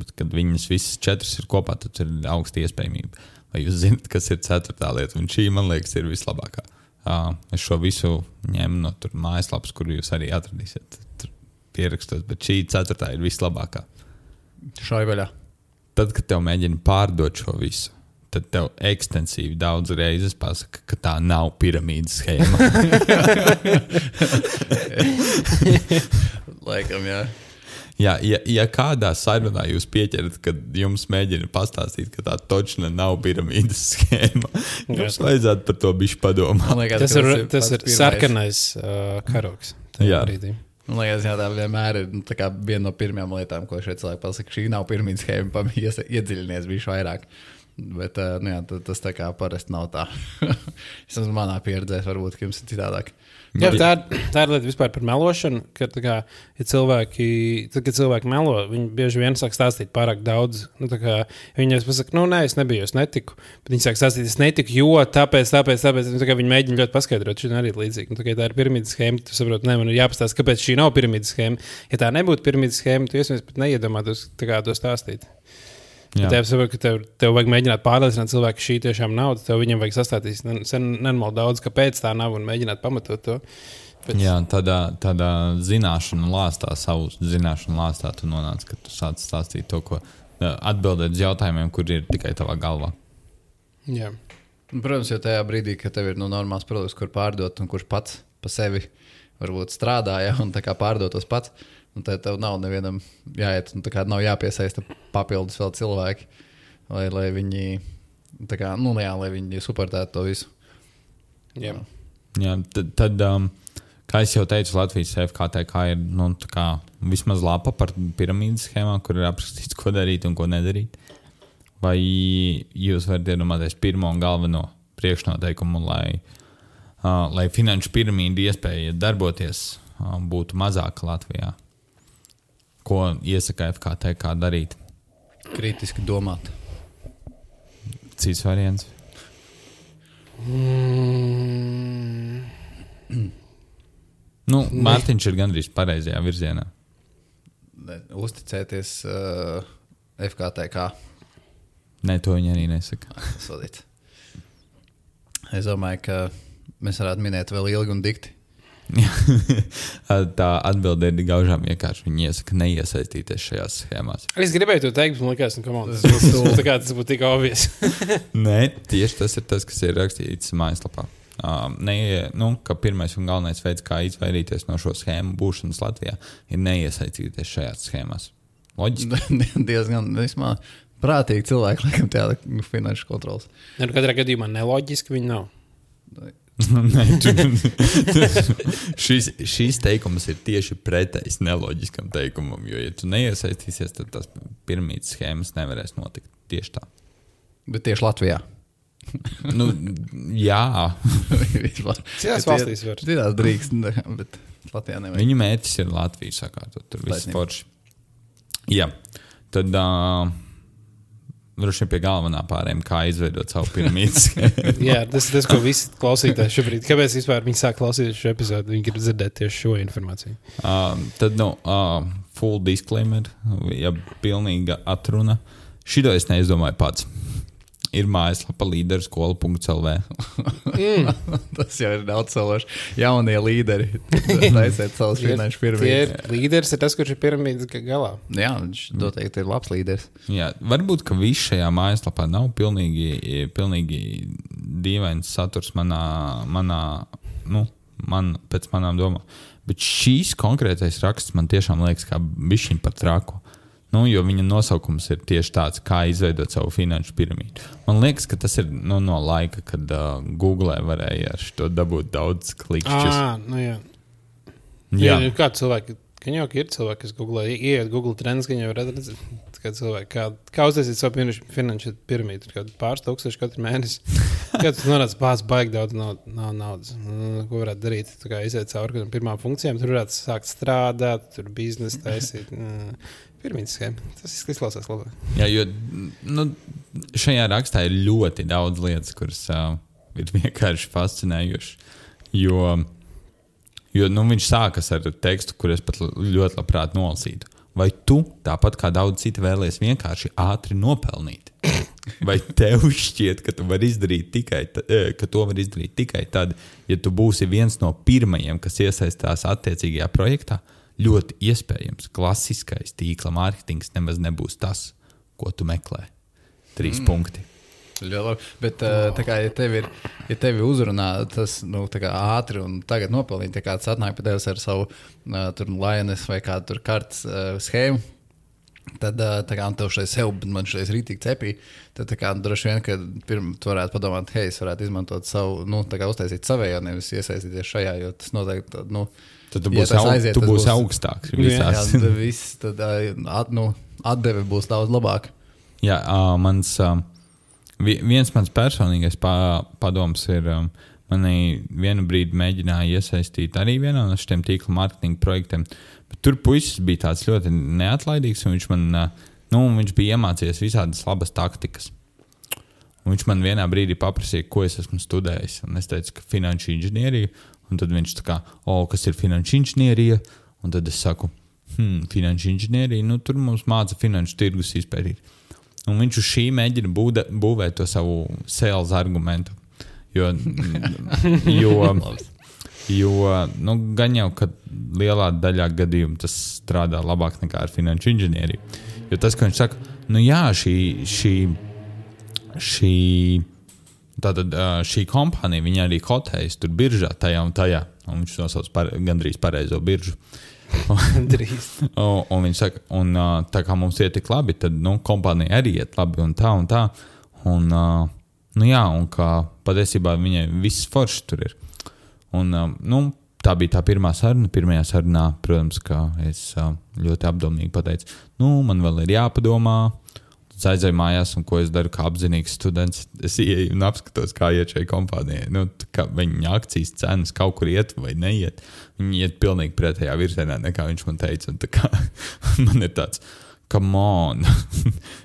bet kad viņas visas 4 ir kopā, tad ir augsta iespējamība. Vai jūs zināt, kas ir 4. lieta, un šī, man liekas, ir vislabākā. Es šo visu ņemu no tur mājaslapas, kur jūs arī atradīsiet pierakstos, bet šī 4. ir vislabākā. Šai vaļā. Tad, kad tev mēģina pārdot šo visu, tad tev ekstensīvi daudz reizes pasaka, ka tā nav piramīdas schēma. Laikam, jā. Ja kādā sarunā jūs pieķerat, kad jums mēģina pastāstīt, ka tā točna nav piramīdas schēma, jums vajadzētu par to bišķi padomāt. Tas ir sarkanais karoks. Jā. Brīdī. Man liekas, jā, tā vienmēr ir tā kā viena no pirmajām lietām, ko šeit cilvēki pasaka. Šī nav pirmā schēma, iedziļinies bišķi vairāk. Bet jā, tas tā kā parasti nav tā. Vismaz manā pieredzē varbūt, ka jums ir citādāk. Jā, tā ir lieta vispār par melošanu, ka ja kad cilvēki melo, viņi bieži vien sāk stāstīt pārāk daudz. Viņi pasaka, nē, es nebiju, es netiku. Bet viņi sāk stāstīt, es netiku, jo tāpēc. Viņi mēģina ļoti paskaidrot, šī arī ir līdzīga. Tā ir piramīdas schēma, tu saproti, man ir jāpastāst, kāpēc šī nav piramīdas schēma. Ja tā nebūtu piramīdas schēma, tu iespējams pat neiedomātos to stāstīt. Ja tev saprot, ka tev vajag mēģināt pārliecināt cilvēku, ka šī tiešām nav, tad viņam vajag sastāstīt nenormāli daudz, kāpēc tā nav un mēģināt pamatot to. Bet... Jā, tādā zināšanu lāstā, savu zināšanu lāstā tu nonāc, ka tu sāc stāstīt to, ko atbildēt uz jautājumiem, kur ir tikai tavā galvā. Jā. Protams, jo tajā brīdī, kad tev ir normāls produkts, kur pārdot un kurš pats pa sevi varbūt strādā, ja, un tā kā pārdotos pats, un tad tev nav nevienam jāiet, un tā kā nav jāpiesaista papildus vēl cilvēki, lai viņi, tā kā, lai viņi suportētu to visu. Jā. Jā, tad kā es jau teicu, Latvijas FKTK ir, tā kā vismaz lapa par piramīdas schēmām, kur ir aprakstīts, ko darīt un ko nedarīt. Vai jūs varat iedomāties pirmo un galveno priekšnoteikumu, lai finanšu piramīda iespēja darboties būtu mazāka Latvijā? Ko iesaka FKTK darīt? Kritiski domāt. Cits variants? Mārtiņš ir gandrīz pareizajā virzienā. Uzticēties FKTK. Nē, to viņi arī nesaka. Sodīt. Es domāju, ka mēs varētu minēt vēl ilgi un dikti. Tā atbilde ir gaužām vienkārši. Viņi iesaka neiesaistīties šajās schēmās. Es gribēju to teikt, bet man liekas, tas būtu tik obvious. Nē, tieši tas ir tas, kas ir rakstīts mājaslapā. Ka pirmais un galvenais veids, kā izvairīties no šo schēmu būšanas Latvijā, ir neiesaistīties šajās schēmās. Loģiski? Diezgan vismaz prātīgi cilvēki, laikam, tāda finanšu kontrols. Katrā gadījumā neloģiski viņi nav. Šīs teikums ir tieši pretējs neloģiskam teikumam, jo, ja tu neiesaistīsies, tad tās piramīdas schēmas nevarēs notikt tieši tā. Bet tieši Latvijā? Jā. Citās valstīs var. Citās drīkst, bet Latvijā nevajag. Viņu mērķis ir Latviju sakārtot, tur viss forši. Jā, tad... Droši vien pie galvenā pārējiem, kā izveidot savu piramīdas. Jā, tas ir tas, ko visi klausītāji šobrīd. Kāpēc vispār viņi sāk klausīties šo epizodu? Viņi grib dzirdēt tieši šo informāciju. Tad, full disclaimer, ja pilnīga atruna. Šito es neizdomāju pats. Ir mājaslapa līderskola.lv. Tas jau ir daudz sološi. Jaunie līderi. Taisiet savus finanšu piramīdas. Līderis ir tas, kurš ir piramīdas galā. Jā, viņš noteikti ir labs līderis. Jā, varbūt, ka viss šajā mājaslapā nav pilnīgi dīvains saturs pēc manām domām. Bet šīs konkrētais raksts man tiešām liekas kā bišķiņ par traku. Jo viņa nosaukums ir tieši tāds, kā izveidot savu finanšu piramīdu. Man liekas, ka tas ir no laika, kad Google varēja ar šo dabūt daudz klikšķus. Jā. Kā cilvēki, ka jau ir cilvēki, kas ieiet Google Trends, ka jau redz, kā cilvēki, kā uztaisīt savu finanšu piramīdu, kādu pāris tūkstoši katru mēnesi. Kā tu nonāc baigi daudz nav naudas. Ko varētu darīt? Tā kā iziet cauri pirmām funkcijām, tur varētu sākt strādāt, tur biznesu taisīt. Piramīdas schēma. Tas izklausās labāk. Jā, jo šajā rakstā ir ļoti daudz lietas, kuras ir vienkārši fascinējušas. Jo viņš sākas ar tekstu, kur es pat ļoti labprāt nolasītu. Vai tu, tāpat kā daudz citi, vēlies vienkārši ātri nopelnīt? Vai tev šķiet, ka to var izdarīt tikai tad, ja tu būsi viens no pirmajiem, kas iesaistās attiecīgajā projektā? Ļoti iespējams, klasiskais tīkla mārketings nemaz nebūs tas, ko tu meklē. 3 punkti. Bet, tā kā, ja tevi uzrunā tas tā kā ātri un tagad nopelnīt, ja kāds atnāk pie tevis ar savu Lioness vai kādu kartes schēmu, tad tā kā tev šeit sev, bet man šeit rītīgi cepī, tad tā kā droši vien, ka tu varētu padomāt, hei, es varētu izmantot savu, tā kā uztaisīt savējo, nevis iesaistīties šajā, jo tas noteikti, tad tu būsi augstāks visās. Jā, viss, tad atdeve būs daudz labāk. Jā, viens mans personīgais padoms ir, manī vienu brīdi mēģināja iesaistīt arī vienā no šiem tīkla mārketinga projektiem, bet tur puisis bija tāds ļoti neatlaidīgs, un viņš bija iemācījies visādas labas taktikas. Un viņš man vienā brīdī paprasīja, ko es esmu studējis, un es teicu, ka finanšu inženierija, un tad viņš tā kā, kas ir finanšu inženierija, un tad es saku, finanšu inženierija, tur mums māca finanšu tirgus izpētīt. Un viņš uz šī mēģina būvēt to savu sales argumentu. Jo gan jau, ka lielā daļā gadījumu tas strādā labāk nekā ar finanšu inženieriju. Jo tas, ka viņš saka, šī kompānija, viņa arī kotējas tur biržā tajā un tajā. Un viņš nosauc gandrīz pareizo biržu. un viņš saka, tā kā mums iet tik labi, tad kompānija arī iet labi un tā. Un kā patiesībā viņai viss forši tur ir. Un tā bija tā pirmā saruna. Pirmajā sarunā, protams, ka es ļoti apdomīgi pateicu, man vēl ir jāpadomā. Tad aizēju mājās, un ko es daru kā apzinīgs students. Es ieeju un apskatos, kā iet šai kompānijai. Kā viņa akcijas cenas kaut kur iet vai neiet. Viņi iet pilnīgi pretējā virzienā, nekā viņš man teica. Un tā kā man ir tāds, come on,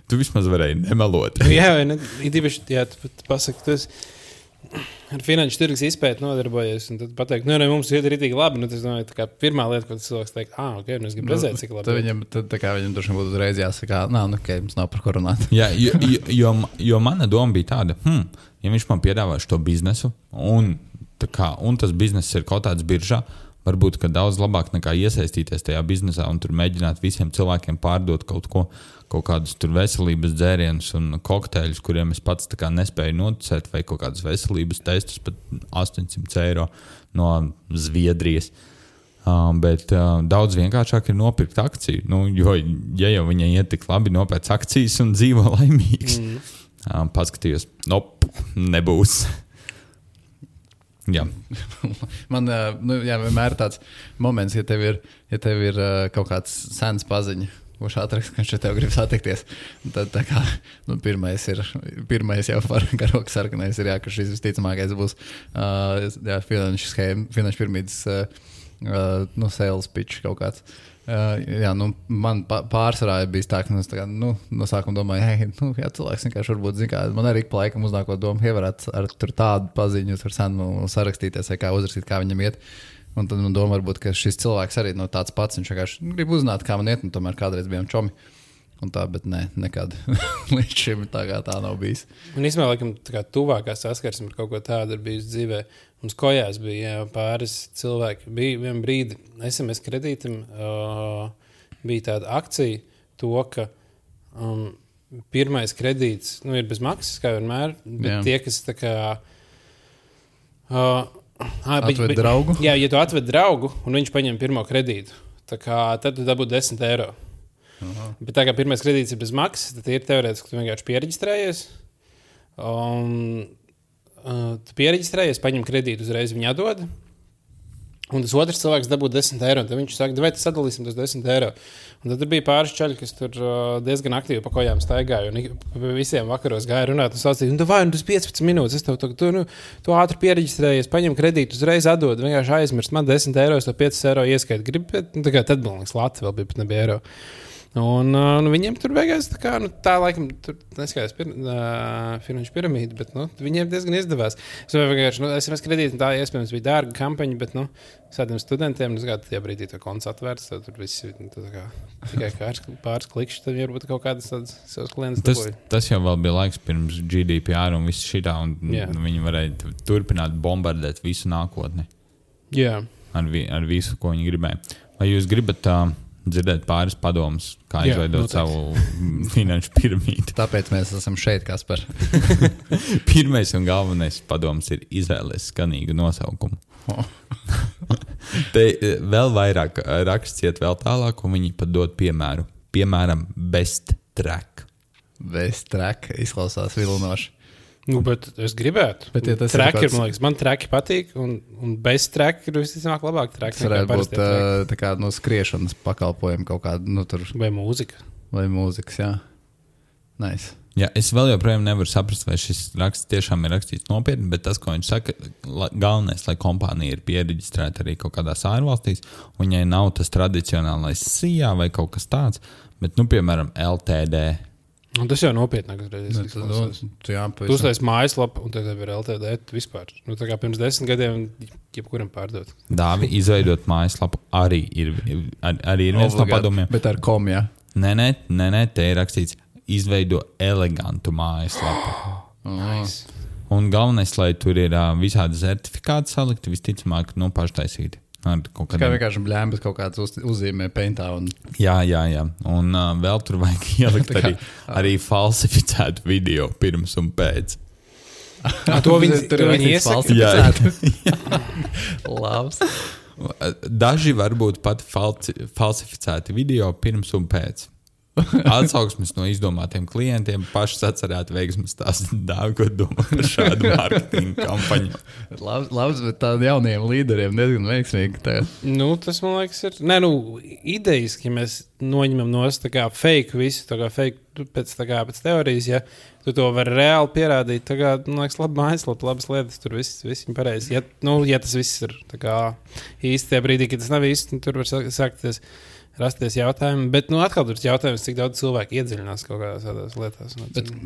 tu vismaz varēji nemelot. Jā, vai ne? Īpaši, tu pasaki, tu esi ar finanšu tirgus izpēti nodarbojies, un tad pateikt, mums iet rītīgi labi. Tas domāju, tā kā pirmā lieta, ko cilvēks teikt, ok, es gribu redzēt, cik labi. Tad viņam droši vien būtu uzreiz jāsaka, ok, mums nav par ko runāt. Jā, jo mana doma bija tāda, ja viņš man piedāvā šo biznesu, un tas bizness ir kaut tāds biržā, varbūt, ka daudz labāk nekā iesaistīties tajā biznesā un tur mēģināt visiem cilvēkiem pārdot kaut kādus tur veselības dzērienus un kokteļus, kuriem es pats tā kā nespēju noticēt, vai kaut kādus veselības testus pat 800 eiro no Zviedrijas. Bet daudz vienkāršāk ir nopirkt akciju, jo, ja jau viņai iet tik labi, nopēc akcijas un dzīvo laimīgs. Paskatījos, nebūs. Jā. Man vienmēr tāds moments, ja tev ir kaut kāds sens paziņa, kurš atrakst, ka šeit tev grib satikties. Tad tā kā pirmais jau par karogu sarkanais ir, ka šis visticamākais būs finanšu pirmītas sales pitch kaut kāds. Man pārsvarā bija tā, ka no sākuma domāju, cilvēks vienkārši varbūt zina, man arī pa laikam uznākot domu, varētu ar tur tādu paziņu, tur senu sarakstīties, vai kā uzrakstīt, kā viņam iet. Un tad man doma varbūt, ka šis cilvēks arī tāds pats, viņš vienkārši grib uzzināt, kā man iet, un tomēr kādreiz bijām čomi. Un tā, bet nekad līdz šim tā nav bijis. Un īstenībā, laikam, tuvākā saskarsme ar kaut ko tādu ir bijusi dzīvē. Mums kojās bija pāris cilvēki. Bija vien brīdi SMS kredītam bija tāda akcija, to, ka pirmais kredīts ir bez maksas, kā vienmēr, bet tie, kas tā kā... atved draugu? Jā, ja tu atved draugu un viņš paņem pirmo kredītu, tad tu dabūtu 10 eiro. Aha. Bet tā kā pirmais kredīts ir bez maksas, tad ir teorētiski, ka tu vienkārši piereģistrējies. Tu piereģistrējies, paņem kredītu, uzreiz viņu atdod. Un tas otrs cilvēks dabū 10 eiro. Tad viņš saka, vai sadalīsim tos 10 eiro. Un tad bija pāris čaļi, kas tur diezgan aktīvi pa kojām staigāja. Un visiem vakaros gāja runāt un sācīja, tas 15 minūtes, es tu ātri piereģistrējies, paņem kredītu, uzreiz atdod, vienkārši aizmirst. Man 10 eiro, es to 5 eiro ieskaitu. Gribu, bet tad man liekas, Latvija vēl bija, pat nebija eiro. Un viņiem tur beigās tā laikam, tur neskatās finanšu piramīdu, bet viņiem diezgan izdevās. Es vienkārši, SMS kredīti, tā iespējams bija dārga kampaņa, bet, sādiem studentiem, tajā brīdī to konts atvērts, tad tur viss tikai pāris klikšķi, tad varbūt kaut kādas tādas savas klientas dabūja. Tas jau vēl bija laiks pirms GDPR un viss šitā, un viņi varēja turpināt bombardēt visu nākotni. Jā. Ar visu, ko viņi gribēja. Vai jūs gribat dzirdēt pāris padomus, kā izveidot savu finanšu piramīdu? Tāpēc mēs esam šeit, Kaspar. Pirmais un galvenais padoms ir izvēlēties skanīgu nosaukumu. Te vēl vairāk raksts iet vēl tālāk, un viņi pat dod piemēru. Piemēram, Best Track. Best Track izklausās vilinoši. Bet es gribētu. Bet, ja traki, man liekas, man traki patīk, un bez traki ir visticamāk labāk traki. Tas varētu būt tā kā skriešanas pakalpojumi kaut kāda, tur. Vai mūzika. Vai mūzikas, jā. Nice. Jā, es vēl joprojām nevaru saprast, vai šis raksts tiešām ir rakstīts nopietni, bet tas, ko viņš saka, galvenais, lai kompānija ir piereģistrēta arī kaut kādās ārvalstīs, un viņai nav tas tradicionālais SIA vai kaut kas tāds, bet, piemēram, LTD. Un tas jau nopietnāk uzreiz. Tu uztais mājaslapu, un tad ir LTD vispār. Tā kā pirms 10 gadiem jebkuram pārdot. Dāvi, izveidot mājaslapu arī ir viens no padomiem. Bet ar kom, jā? Nē, te ir rakstīts izveido elegantu mājaslapu. Nice. Un galvenais, lai tur ir visādi certifikāti salikti, visticamāk, paštaisīti. Kā vienkārši bļēmbas kaut kāds uzzīmē paintā. Jā. Un vēl tur vajag ielikt arī falsificētu video pirms un pēc. To viņi iesaka? Labs. Daži varbūt pat falsificēti video pirms un pēc. Atsauksmes no izdomātiem klientiem pašas atcerēt veiksmes tās dāvi, ko domā par šādu mārketinga kampaņu. Labs, bet tādiem jauniem līderiem diezgan veiksmīgi. Tas, man liekas, ir... idejas, ja mēs noņemam nost tā kā fake visu, tā kā fake pēc teorijas, ja tu to vari reāli pierādīt, tā kā, man liekas, labi mājaslapa, labas lietas, tur viss ir pareizi. Ja tas viss ir tā kā īsti tajā brīdī, kad tas nav īsti, tur var sākties rasties jautājumi, bet atkal tur ir jautājums, cik daudz cilvēku iedziļinās kaut kādās tādās lietās.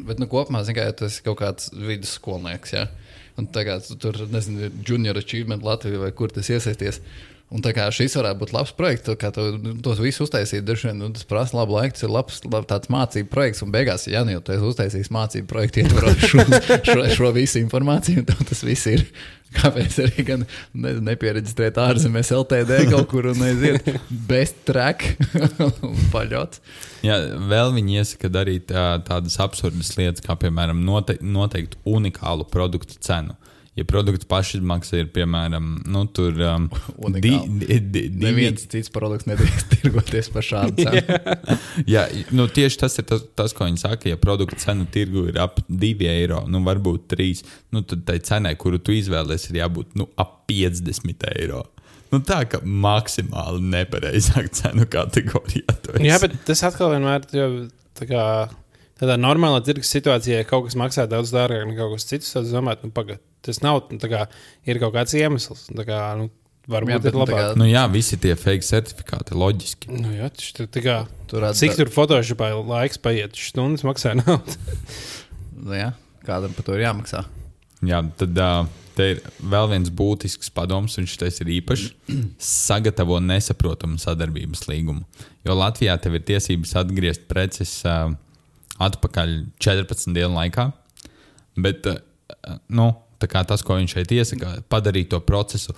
Bet kopumā, ja tas ir kaut kāds vidusskolnieks, ja? Un tagad tur, nezinu, Junior Achievement Latvija vai kur tas iesaisties. Un tā kā šis varētu būt labs projekts, kā tos visu uztaisīt, tas prasa labu laiku, tas ir labs tāds mācību projekts, un beigās, ja jau tu esi uztaisījis mācību projektu, ietvarot šo visu informāciju, un tas viss ir, kāpēc arī gan nepiereģistrēt ārzemēs LTD kaut kur un aiziet Best Track un paļots. Jā, vēl viņi iesaka darīt tādas absurdas lietas, kā piemēram noteikt unikālu produktu cenu. Ja produktu pašizmaksa ir, piemēram, tur neviens cits produkts nedrīkst tirgoties par šādu cenu. Jā, tieši tas ir tas, ko viņi saka, ja produktu cena tirgu ir ap 2 eiro, varbūt 3, tad tai cenai, kuru tu izvēlies, ir jābūt ap 50 eiro. Tā kā maksimāli nepareizāk cenu kategorijā. Jā, bet tas atkal vienmēr jau tā kā tādā normālā tirgus situācijā, ja kaut kas maksā daudz dārgāk nekā kaut kas cits, tad domāt, pagad. Tas nav, ir kaut kāds iemesls. Varbūt ir labāk. Visi tie fake certifikāti, loģiski. Jā, cik tur Photoshopā laiks paiet, stundas maksā naudu. Jā, kādam par to ir jāmaksā. Jā, tad te ir vēl viens būtisks padoms, un šitais ir īpašs. Sagatavo nesaprotamu sadarbības līgumu. Jo Latvijā tev ir tiesības atgriezt preces atpakaļ 14 dienu laikā, bet, tā kā tas, ko viņš šeit iesaka, padarīt to procesu,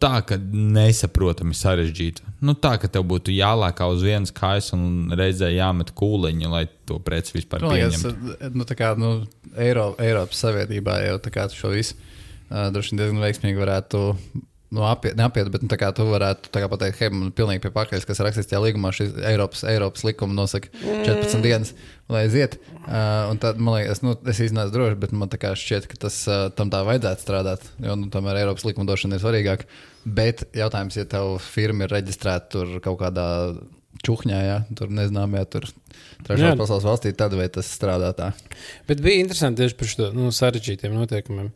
tā, ka nesaprotami sarežģītu. Tā, ka tev būtu jālēkā uz vienas kājas un reizē jāmet kūliņa, lai to preci vispār pieņemtu. Eiropas Savienībā jau tā kā šo visu droši vien diezgan veiksmīgi varētu neapiet, bet tu varētu pateikt, hei, man pilnīgi pie pakaļas, kas rakstīts tajā līgumā, šis Eiropas likuma nosaka 14 dienas, lai aiziet. Un tad, man liekas, es iznācu droši, bet man tā kā šķiet, ka tas tam tā vajadzētu strādāt, jo tomēr Eiropas likumdošana ir svarīgāka. Bet jautājums, ja tev firma ir reģistrēta tur kaut kādā čuhņā, ja, tur nezināmajā, tur trešās pasaules valstī, tad vai tas strādā tā? Bet bija interesanti tieši par šo sarežģītiem noteikumiem.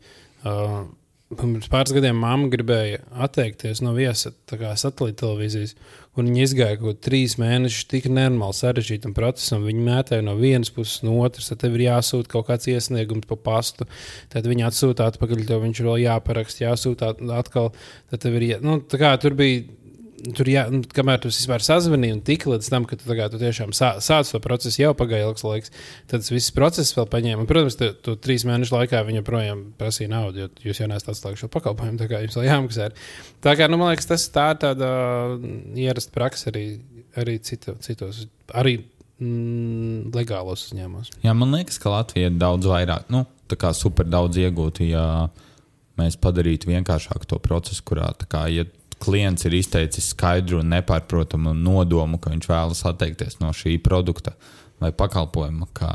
pirms pāris gadiem mamma gribēja atteikties no viesa satelīta televīzijas, un viņi izgāja kaut 3 mēnešus tik nenormāli sarežģītam procesam. Viņi mētāja no vienas puses, no otras, tad tev ir jāsūta kaut kāds iesniegums pa pastu, tad viņi atsūta atpakaļ, tev viņš vēl jāparakst, jāsūta atkal, tad tev ir tur bija. Kamēr tu vispār sazvanīji un tiki līdz tam, ka tu tiešām sāc to procesu, jau pagāja ilgs laiks, tad tas viss process vēl paņēma. Un, protams, tu 3 mēnešu laikā viņa projām prasīja naudu, jo jūs jau neesat atslēguši šo pakalpojumu, tā kā jums vēl jāmaksā. Tā kā, man liekas, tas tā ir tāda ierasta praksa arī citos, arī legālos uzņēmumos. Jā, man liekas, ka Latvija ir daudz vairāk, tā kā super daudz iegūtu, ja mēs padarītu vienkāršāku to procesu, kurā tā kā, ja klients ir izteicis skaidru un nepārprotamu nodomu, ka viņš vēlas atteikties no šī produkta vai pakalpojuma, kā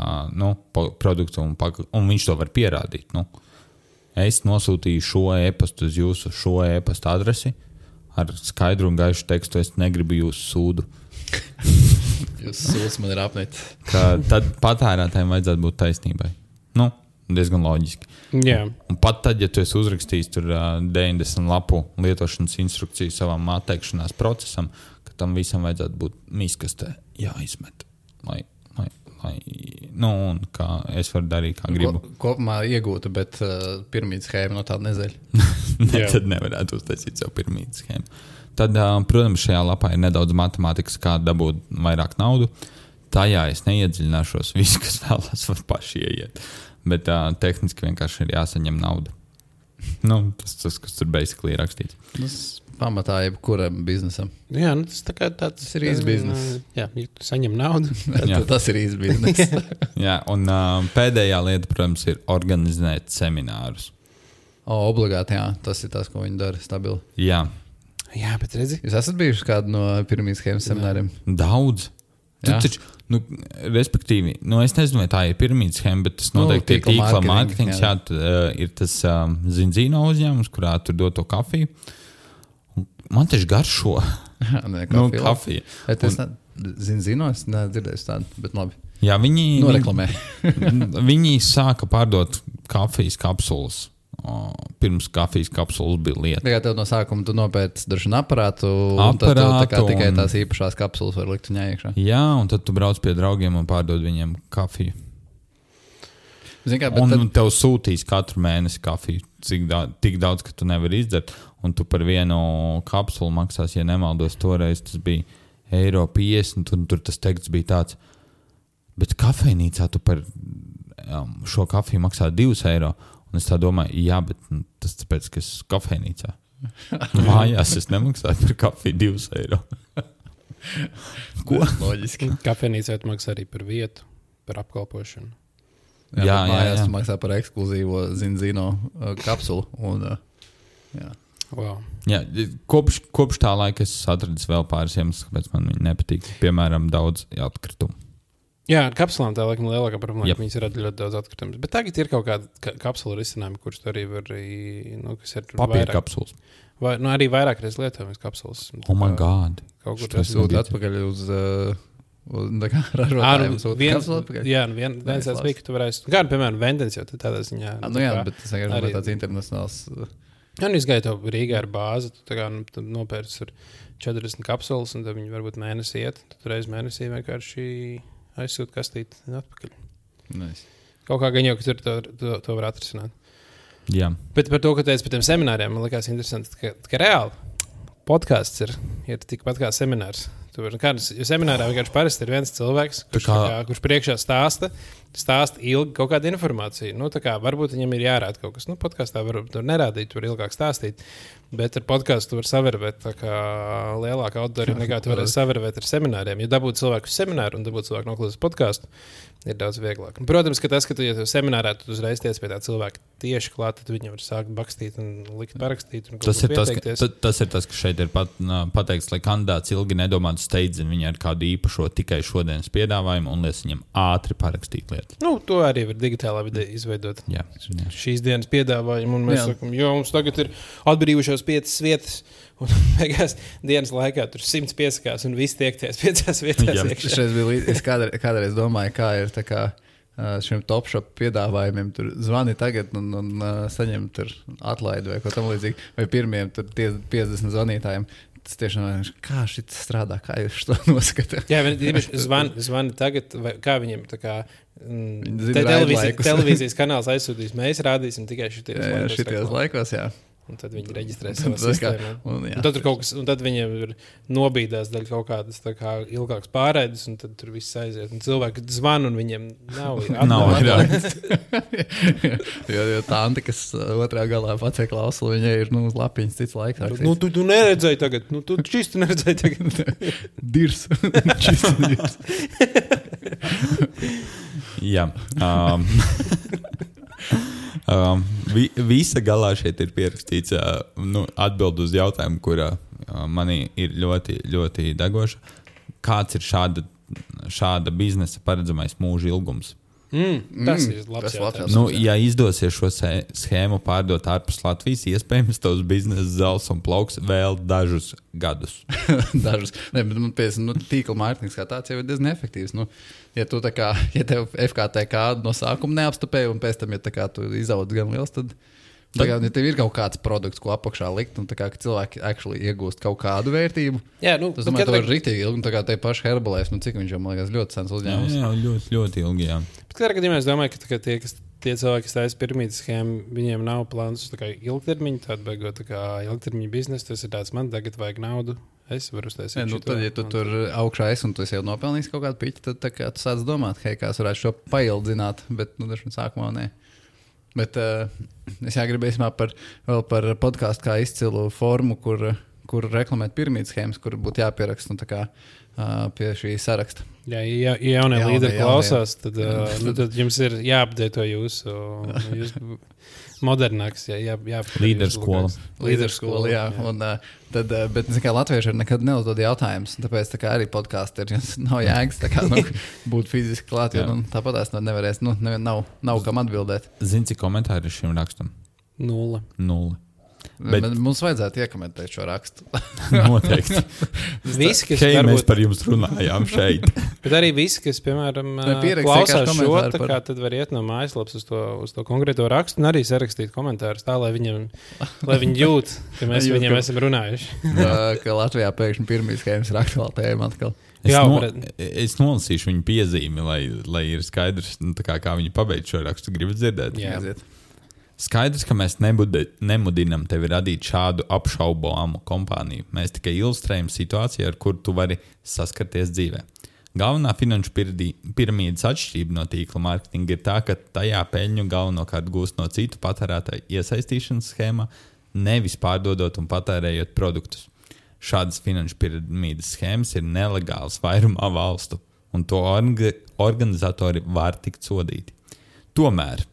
produktu, un viņš to var pierādīt. Es nosūtīju šo e-pastu uz jūsu šo e-pastu adresi ar skaidru un gaišu tekstu, es negribu jūsu sūdu. Jūsu sūds man ir apmet. Tad patērētājiem vajadzētu būt taisnībai. Diezgan loģiski. Yeah. Un pat tad, ja tu esi uzrakstījis tur 90 lapu lietošanas instrukciju savam atteikšanās procesam, ka tam visam vajadzētu būt miskastē jāizmet. Un kā es varu darīt, kā gribu. Kopumā iegūta, bet piramīdas schēma no tāda nezaļa. Tad nevarētu uztaisīt savu piramīdas schēmu. Tad, protams, šajā lapā ir nedaudz matemātikas, kā dabūt vairāk naudu. Tajā es neiedziļināšos. Visi, kas vēlas, var paši ieiet. Bet tehniski vienkārši ir jāsaņem nauda. Tas kas tur basically ir rakstīts. Tas pamatā jebkuram biznesam. Jā, tas tā kā tāds ir īsts biznes. Jā, ja tu saņem naudu. Tas ir īsts biznes. Jā, un pēdējā lieta, protams, ir organizēt seminārus. Obligāti, jā. Tas ir tas, ko viņi dara stabili. Jā. Jā, bet redzi. Jūs esat bijuši kādu no piramīdas schēmas semināriem? Daudz. Taču, respektīvi, es nezinu, vai tā ir piramīdas schēma, bet tas noteikti ir tīkla mārketings. Jā, ir tas Zinzino uzņēmums, kurā tur dod to kafiju. Man taču garšo. Kafija. Zinzino, es nedzirdēju tādu, bet labi. Jā, noreklamē. Viņi sāka pārdot kafijas kapsulas. Pirms kafijas kapsulas bija lieta. Tikai tev no sākuma tu nopērci dažu aparātu un tad tu tikai tās īpašās kapsulas var likt viņā iekšā. Jā, un tad tu brauc pie draugiem un pārdod viņiem kafiju. Un tev sūtīs katru mēnesi kafiju, tik daudz, ka tu nevari izdzert, un tu par vienu kapsulu maksās, ja nemaldos, toreiz tas bija €1,50, un tur tas teksts bija tāds, bet kafejnīcā tu par šo kafiju maksā €2. Un es tā domāju, jā, bet tas tāpēc, ka es esmu kafejnīcā. Mājās es nemaksāju par kafiju €2. Ko? Loģiski. Kafejnīcā tu maksā arī par vietu, par apkalpošanu. Jā. Mājās tu maksā par ekskluzīvo Zinzino kapsulu. Wow. Jā, kopš tā laika es atradis vēl pāris iemeslus, kāpēc man viņi nepatīk. Piemēram, daudz atkritumu. Jā, ar kapsulām tā laikam lielākā problēma, ka viņas rada ļoti daudz atkritumus. Bet tagad ir kaut kāda kapsula risinājuma, kurš tu arī var, kas ir papīra kapsulas. Vai, arī vairāk reiz lietojamas kapsulas. Oh my God. Kaut kur tas sūta atpakaļ uz ražotājiem. Jā, viens tāds bija, ka tu varēsi, gan, piemēram, Vendens jau tādā ziņā. Jā, bet tas vienkārši tāds internacionāls. Jā, izgāja tev Rīgā ar bāzi, tu nopērci 40 kapsulas, un tad viņi varbūt mēnesi iet, tad reiz mēnesī vienkārši aizsūt kastīt atpakaļ. Nice. Kaut kā gan jau, ka tur to var atrisināt. Jā. Bet par to, ka teicu par tiem semināriem, man likās interesanti, ka reāli podcasts ir tikpat kā seminārs. Jo seminārā vienkārši parasti ir viens cilvēks, kurš priekšā stāsta ilgi kaut kādu informāciju. Varbūt viņam ir jārāda kaut kas. Podkāstā var nerādīt, var ilgāk stāstīt. Bet ar podkāstu var savervēt lielāku auditoriju nekā tu varēsi savervēt ar semināriem. Ja dabūtu cilvēku uz semināru un dabūtu cilvēku noklausīt podkāstu, ir daudz vieglāk. Un, protams, ka tas, ka tu seminārā tu uzreiz tiec pie tā cilvēka tieši klāt, tad viņam var sākt bakstīt un likt parakstīt. Un tas ir tas, ka šeit ir pateikts, lai kandidāts ilgi nedomātu steidzini viņai ar kādu īpašo tikai šodienas piedāvājumu un lies viņam ātri parakstīt lietas. To arī var digitālā vidē izveidot. Jā. Šīs dienas piedāvājumu un mēs sakam, jo mums tagad ir atbrīvušās 5 vietas un beigās dienas laikā tur 100 piesakās un visi tiekties 5 vietās iekšā. Es kādreiz domāju, kā ir tā kā šiem top shop piedāvājumiem, tur zvani tagad un saņem tur atlaidi vai ko tam līdzīgi, vai pirmiem tur 50 zvanītājiem. Tas tiešām kā šit strādā, kā jūs to noskatāt? Jā, viņi zvani tagad, vai kā viņiem tā kā televīzijas kanāls aizsūtīs, mēs rādīsim tikai šitajos laikos, jā. Un tad viņi reģistrē savā sistēmā. Un tad tur kaut kas, un tad viņiem ir nobīdās daļa kaut kādas tā kā ilgākas pārēdes, un tad tur viss aiziet. Un cilvēki zvan, un viņiem nav atdāvāts. jo tanti, kas otrā galā pacē klausulu, viņai ir, uz lapiņas cits laiks. Tu neredzēji tagad. Tu čistu neredzēji tagad. Dirs. Čistu dirs. Jā. Visa galā šeit ir pierakstīts atbild uz jautājumu, kura manī ir ļoti, ļoti degoša. Kāds ir šāda biznesa paredzamais mūža ilgums? Tas ir labs jautājums. Ja izdosies šo schēmu pārdot ārpus Latvijas, iespējams, tavs biznesa zels un plauks vēl dažus gadus. Dažus. Ne, bet tīkla mārketings kā tāds jau ir diezgan efektīvs. Ja tu tā kā, ja tev FKTK no sākuma neapstupēja un pēc tam, ja tā kā tu izaudz gan liels, tad ja tev ir kaut kāds produkts, ko apakšā likt, un tā kā cilvēki actually iegūst kaut kādu vērtību, tas, domāju, tev ir rīktīgi ilgi, un tā kā te paši Herbalife, cik viņš jau, man liekas, ļoti sens uzņēmums. Jā, ļoti, ļoti ilgi, jā. Bet kādā gadījumā es domāju, ka tie cilvēki, kas taisa piramīdas schēmu, viņiem nav plāns uz ilgtermiņu, tādu beigot tā kā ilgtermiņu biznesu, tas ir tāds, man tagad vajag naudu, es varu uztaisīt šito. Tad, ja tu tur augšā esi un tu esi jau nopelnījis kaut kādu piķi, tad tā kā tu sāc domāt, hei, kā es varētu šo paildzināt, bet, dažiem sākumā nē. Bet es gribēju par podkāstu kā izcilu formu, kur reklamēt piramīdas schēmas, kur būtu jāpieraksta pie šī saraksta. Ja jaunie līderi klausās, tad jums ir jāapdēto jūsu modernāks, līderskola. Līderskola, jā. Bet latvieši ir nekad neuzdod jautājumus, tāpēc arī podkāsti nav jēgas būt fiziski klāt, jo tāpat es nevarēs, nav kam atbildēt. Zini, cik komentāri ir šim rakstam? 0. Bet mums vajadzētu iekomentēt šo rakstu. Noteikti. Visi, kas mēs par jums runājām šeit. Bet arī visi, kas, piemēram, klausās šo, tad var iet no mājaslapas uz to konkrēto rakstu un arī sarakstīt komentārus tā, lai viņi jūt, ka mēs viņiem esam runājuši. Ka Latvijā pēkšņi pirmīs schēmas ir aktuāla tēma atkal. Es nolasīšu viņu piezīmi, lai ir skaidrs, kā viņi pabeidz šo rakstu. Gribat dzirdēt? Jā. Skaidrs, ka mēs nemudinam tevi radīt šādu apšaubāmu kompāniju. Mēs tikai ilustrējam situāciju, ar kuru tu vari saskarties dzīvē. Galvenā finanšu piramīdas atšķirība no tīkla mārketinga ir tā, ka tajā peļņu galvenokārt gūst no citu patērētāju iesaistīšanas schēmā, nevis pārdodot un patērējot produktus. Šādas finanšu piramīdas schēmas ir nelegālas vairumā valstu, un to organizatori var tikt sodīti. Tomēr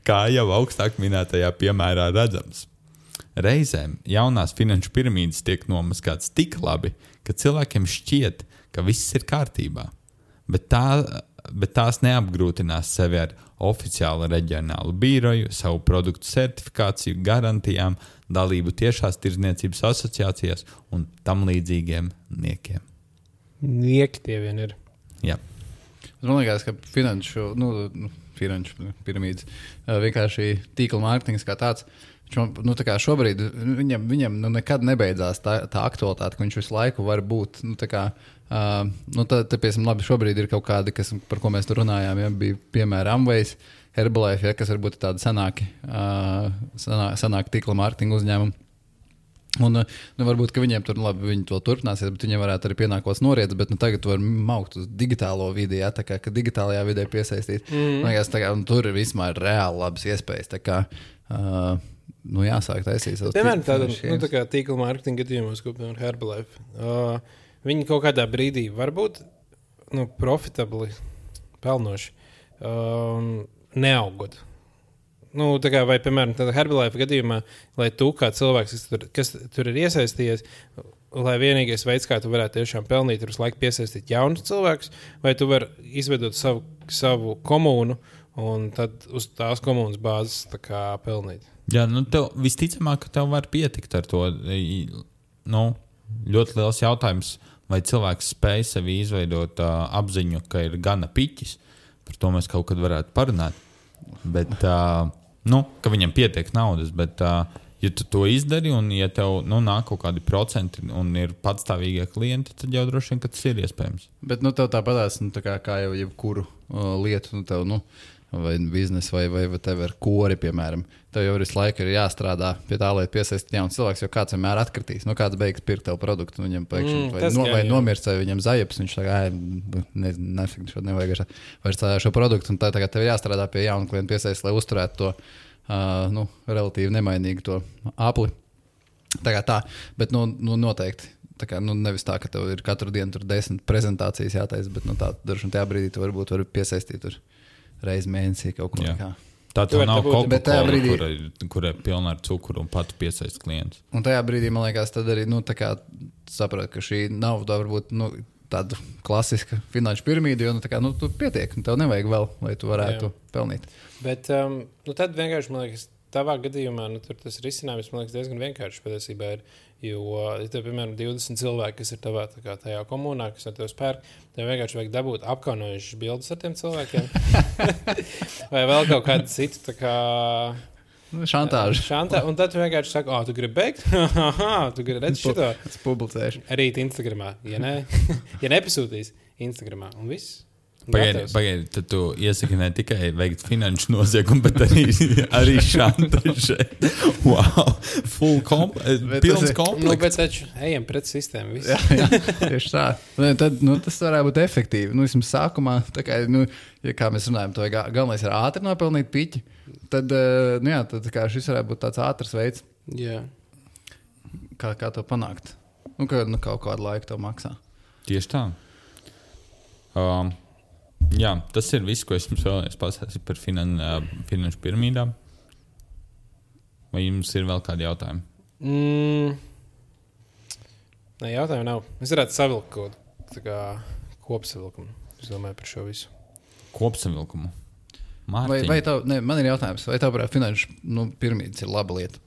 kā jau augstāk minētajā piemērā redzams, reizēm jaunās finanšu piramīdas tiek nomaskātas tik labi, ka cilvēkiem šķiet, ka viss ir kārtībā, bet tās neapgrūtinās sevi ar oficiālu reģionālu biroju, savu produktu certifikāciju, garantijām, dalību tiešās tirdzniecības asociācijās un tam līdzīgiem niekiem. Nieki tie vien ir. Jā. Man liekas, ka finanšu piramīdas, vienkārši tīkla mārketings kā tāds, tā kā šobrīd viņam nekad nebeidzās tā aktualitāte, ka viņš visu laiku var būt, piemēram, labi, šobrīd ir kaut kādi, par ko mēs tur runājām, bija piemēram Amways, Herbalife, kas varbūt ir tādi senāki tīkla mārketinga uzņēmumi. Un varbūt, ka viņiem tur labi, viņi to turpināsies, bet viņiem varētu arī pienākos noriets, bet tagad var maukt uz digitālo vidi, tā kā digitālajā vidē piesaistīt. Tur ir vismaz reāli labas iespējas, tā kā jāsāk taisīt savus piemēram, tā kā tīkla mārketinga gadījumos, ko piemēram Herbalife. Viņi kaut kādā brīdī var būt profitabli, pelnoši, neaugot. Vai, piemēram, tādā Herbalife gadījumā, lai tu kā cilvēks, kas tur ir iesaistījies, lai vienīgais veids, kā tu varētu tiešām pelnīt, ir uz laiku piesaistīt jaunus cilvēkus, vai tu vari izveidot savu komūnu un tad uz tās komūnas bāzes pelnīt? Jā, tev visticamāk, ka tev var pietikt ar to. Ļoti liels jautājums, vai cilvēks spēj sevi izveidot apziņu, ka ir gana piķis, par to mēs kaut kad varētu parunāt. Bet, ka viņam pietiek naudas, bet, ja tu to izdari un ja tev nāk kaut kādi procenti un ir patstāvīgie klienti, tad jau droši vien, ka tas ir iespējams. Bet, tev tāpatās, kā jau jebkuru lietu, tev, vai biznesa, vai tev ir kori, piemēram. Tev jau visu laiku ir jāstrādā pie tā, lai piesaistītu jaunu cilvēku, jo kāds vienmēr atkritīs. Kāds beigs pirkt tev produktu, un viņam pēkšņi vai nomirst, vai viņam zajaps, viņš tā kā, nefik, šo nevajag vairs šo produktu, un tagad tev ir jāstrādā pie jaunu klientu piesaist, lai uzturētu to, relatīvi nemainīgu to apli. Tā, bet, noteikti. Tā kā, nevis tā, ka tev ir katru dienu tur 10 prezentācijas jātaisa, bet, tā, dažu un tajā brīdī tu varbūt vari piesaistīt tur reiz mēnesī kaut ko. Tā tev nav Coca-Cola, kur ir pilna ar cukuru un patu piesaist klients. Un tajā brīdī, man liekas, tad arī, saprot, ka šī nav varbūt, tāda klasiska finanšu piramīda, jo, tu pietiek, un tev nevajag vēl, lai tu varētu pelnīt. Bet, tad vienkārši, man liekas, tavā gadījumā, tur tas risinājums, man liekas, diezgan vienkārši patiesībā ir. Jo, ja tev, piemēram, 20 cilvēki, kas ir tavā tajā komunā, kas ar tevi spērk, tev vienkārši vajag dabūt apkaunojušas bildes ar tiem cilvēkiem. Vai vēl kaut kādu citu, tā kā... Šantāžu. Un tad tu vienkārši saki, tu gribi beigt? Tu gribi redzēt šito? Es publicēšu. Rīt Instagramā. Ja nepasūtīs Instagramā. Un viss. Pagaidi, tad tu iesaki ne tikai veikt finanšu noziegumu, bet arī šantažē. Wow, pilns komplekts. Bet taču ejam pret sistēmu. Jā, tieši tā. Tad, tas varētu būt efektīvi. Vismaz sākumā, tā kā, ja kā mēs runājam, to galvenais ir ātri nopelnīt piķi, tad, tad kā šis varētu būt tāds ātrs veids. Jā. Kā to panākt? Kaut kādu laiku to maksā. Tieši tā. Jā, tas ir viss, ko es jums vēlējos pastāstīt par finanšu piramīdām. Vai jums ir vēl kādi jautājumi? Nē, jautājumu nav. Es varētu savilkt kaut kopsavilkumu. Es domāju par šo visu. Kopsavilkumu? Vai tev, man ir jautājums, vai tev prāt finanšu piramīdas ir laba lieta?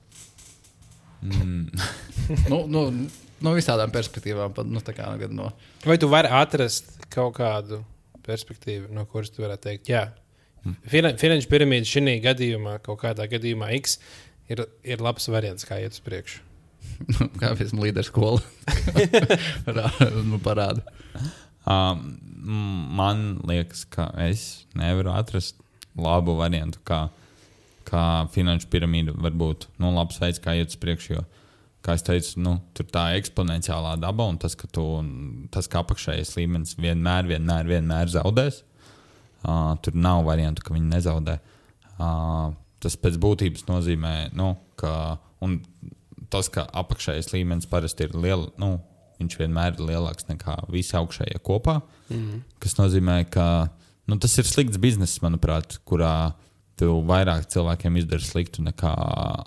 No visādām perspektīvām. Vai tu vari atrast kaut kādu perspektīvu, no kuras tu varētu teikt, jā, finanšu piramīda šī gadījumā, kaut kādā gadījumā X, ir labs variants, kā iet uz priekšu. Kā esmu līderu skola. Parāda. Man liekas, ka es nevaru atrast labu variantu, kā finanšu piramīda var būt labs veids, kā iet uz priekšu, jo kā es teicu, tur tā eksponenciālā daba un tas, ka apakšējais līmenis vienmēr zaudēs. Tur nav variantu, ka viņi nezaudē. Tas pēc būtības nozīmē, tas, ka apakšējais līmenis parasti ir viņš vienmēr ir lielāks nekā visi augšējie kopā. Kas nozīmē, ka tas ir slikts bizness, manuprāt, kurā tu vairāk cilvēkiem izdari sliktu nekā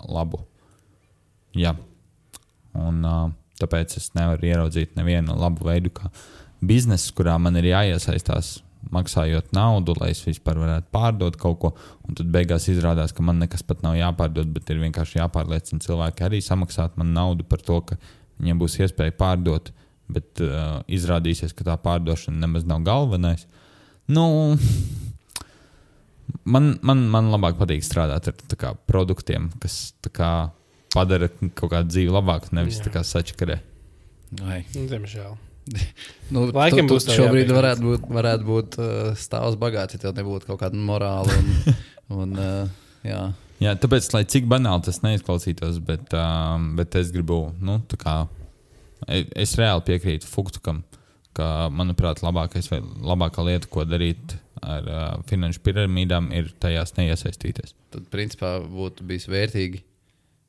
labu. Jā. Un tāpēc es nevaru ieraudzīt nevienu labu veidu, kā biznesu, kurā man ir jāiesaistās maksājot naudu, lai es vispār varētu pārdot kaut ko. Un tad beigās izrādās, ka man nekas pat nav jāpārdod, bet ir vienkārši jāpārliecina cilvēki arī samaksāt man naudu par to, ka viņiem būs iespēja pārdot, bet izrādīsies, ka tā pārdošana nemaz nav galvenais. Man labāk patīk strādāt ar produktiem, kas padara kaut kādu dzīvi labāku, nevis tā kā sačakarē. Diemžēl. Laikam būs šobrīd varētu būt stāvs bagāts, ja tev nebūtu kaut kāda morāla. Jā, tāpēc, lai cik banāli tas neizklausītos, bet es gribu, es reāli piekrītu Fuktukam, ka, manuprāt, labākā lieta, ko darīt ar finanšu piramīdām, ir tajās neiesaistīties. Tad, principā, būtu bijis vērtīgi,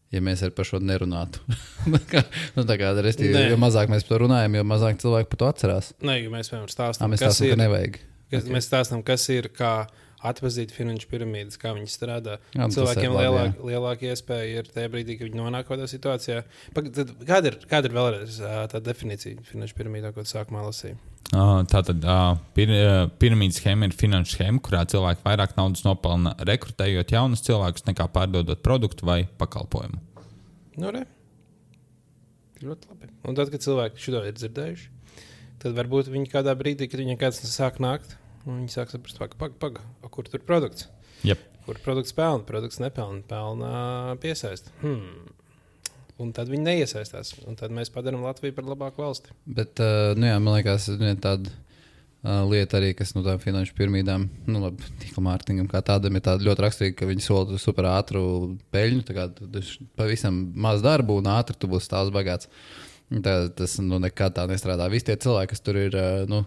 ja mēs par šo nerunātu. Jo mazāk mēs par to runājam, jo mazāk cilvēki par to atcerās. Nē, jo mēs vienmēr stāstam, mēs stāstam, kas ir, kā atpazīt finanšu piramīdas, kā viņi strādā. Cilvēkiem lielāka iespēja ir tajā brīdī, kad viņi nonāk kādā situācijā. Kāda ir vēlreiz tā definīcija finanšu piramīdā, ko tu sākumā lasīji? Tātad piramīdas schēma ir finanšu schēma, kurā cilvēki vairāk naudas nopelna rekrutējot jaunus cilvēkus nekā pārdodot produktu vai pakalpojumu. Ļoti labi. Un tad, kad cilvēki šo ir dzirdējuši, tad varbūt viņi kādā brīdī, kad viņiem kāds sāk nākt, Un viņi sāk saprast, paga, kur tur produkts? Yep. Kur produkts pelna, produkts nepelna, pelna piesaist. Un tad viņi neiesaistās. Un tad mēs padarām Latviju par labāku valsti. Bet, man liekas, tāda lieta arī, kas no tām finanšu piramīdām, tīkla mārketingam kā tādam, ir tāda ļoti raksturīga, ka viņi sola super ātru peļņu. Tā kā pavisam maz darbu un ātri tu būsi stāvs bagāts. Tas nekad tā nestrādā. Visi tie cilvēki, kas tur ir,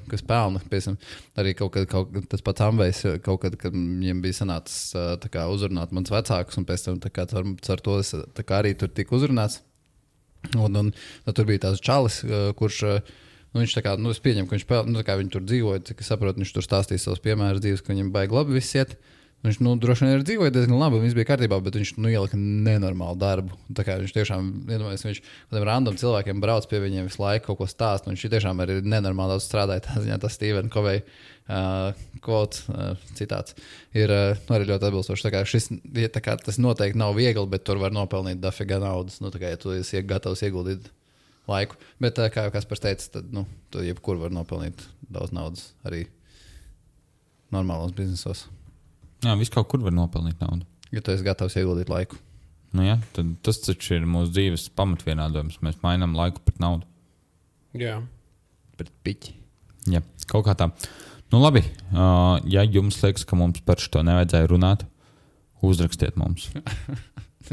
kas pelna, piemēram, arī kaut kad tas pats Amvejs, kaut kad viņiem bija sanācis uzrunāt mans vecākus, un pēc tam caur to es arī tur tika uzrunāts. Un tur bija tās čalis, kurš, viņš tā kā, es pieņemu, ka viņš pelna, viņi tur dzīvoja, cik es saprotu, viņš tur stāstīja savus piemērus dzīves, ka viņam baigi labi viss iet. Viņš droši vien ir dzīvojis diezgan labi, viss bija kārtībā, bet viņš ielika nenormālu darbu. Tā kā viņš tiešām, viņš kādiem random cilvēkiem brauc pie viņiem visu laiku kaut ko stāst, un viņš tiešām arī nenormāli daudz strādāja. Tā ziņā tas Stephen Covey quotes, citāts, ir arī ļoti atbilstošs. Tā kā tas noteikti nav viegli, bet tur var nopelnīt dafiga naudas, ja tu esi gatavs ieguldīt laiku. Bet, kā jau Kaspars teica, tad, tu jebkur var nopelnīt daudz naudas arī normālos biznesos. Jā, viss kaut kur var nopelnīt naudu. Ja tu esi gatavs ieguldīt laiku. Tad tas taču ir mūsu dzīves pamatvienādojums. Mēs mainām laiku pret naudu. Jā. Pret piķi. Jā, kaut kā tā. Labi, ja jums liekas, ka mums par šo nevajadzēja runāt, uzrakstiet mums.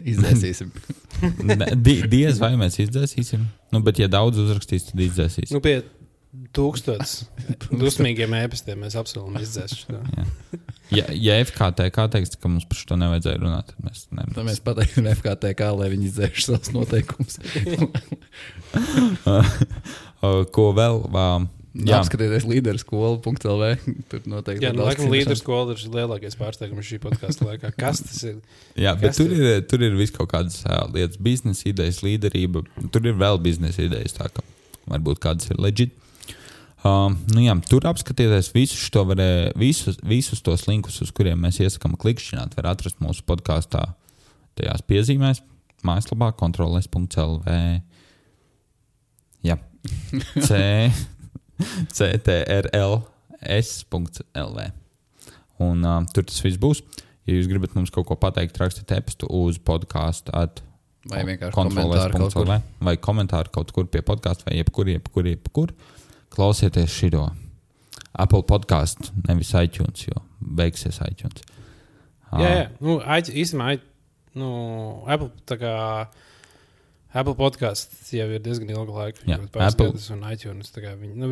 Izdzēsīsim. Diez vai mēs izdzēsīsim. Bet ja daudz uzrakstīs, tad izdzēsīsim. Pie 1000 dusmīgiem ēpastiem mēs apsolam izdzēst. Ja FKTK teiks, ka mums par šo nevajadzēja runāt, tad mēs pateiksim FKTK, lai viņi izdzēš savus noteikumus. Ko vēl? Apskatieties līderskola.lv. Tur noteikti. Jā, laikam līderskola ir lielākais pārsteigums šī podkasta laikā. Kas tas ir? Jā, bet tur ir viss kaut kādas lietas, biznesa idejas, līderība. Tur ir vēl biznesa idejas, tā ka varbūt kādas ir legit. Tur apskatieties visus tos linkus, uz kuriem mēs iesakām klikšķināt. Var atrast mūsu podkastā tajās piezīmēs, mājaslapā kontroles.lv. Jā, ctrls.lv. Un tur tas viss būs. Ja jūs gribat mums kaut ko pateikt, rakstiet e-pastu uz podcastu vai vienkārši komentāru vai komentāru kaut kur pie podcastu vai jebkur. Klausieties šito Apple podcastu, nevis iTunes, jo beigsies iTunes. Jā. Īstenībā, Apple podcasts jau ir diezgan ilgu laiku. Jā, Apple un iTunes.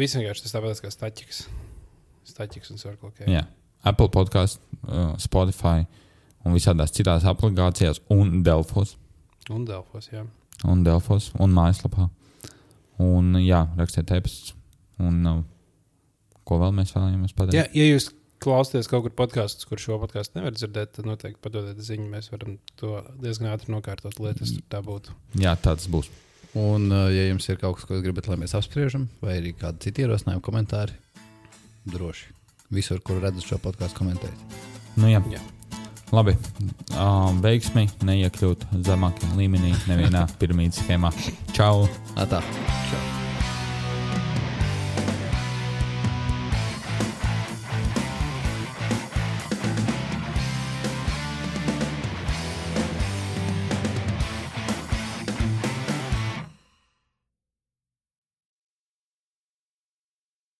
Visi vienkārši tas tāpēc kā Staķiks un Circle K. Jā, Apple podcasts, Spotify un visādās citās aplikācijās un Delfos. Un Delfos, jā. Un Delfos un mājaslapā. Un jā, rakstiet e-pastus. Un ko vēl mēs vēlamies pateikt? Jā, ja jūs klausāties kaut kur podkastus, kur šo podkastu nevar dzirdēt, tad noteikti padodiet ziņu. Mēs varam to diezgan ātri nokārtot, lai tas tā būtu. Jā, tāds būs. Un, ja jums ir kaut kas, ko jūs gribat, lai mēs apspriežam, vai arī kādi citi ierosinājumi, komentāri, droši. Visur, kur redzat šo podkastu, komentēt. Jā. Labi. Veiksmi neiekļūt zemākajā līmenī nevienā piramīdas schēmā. Čau! Čau!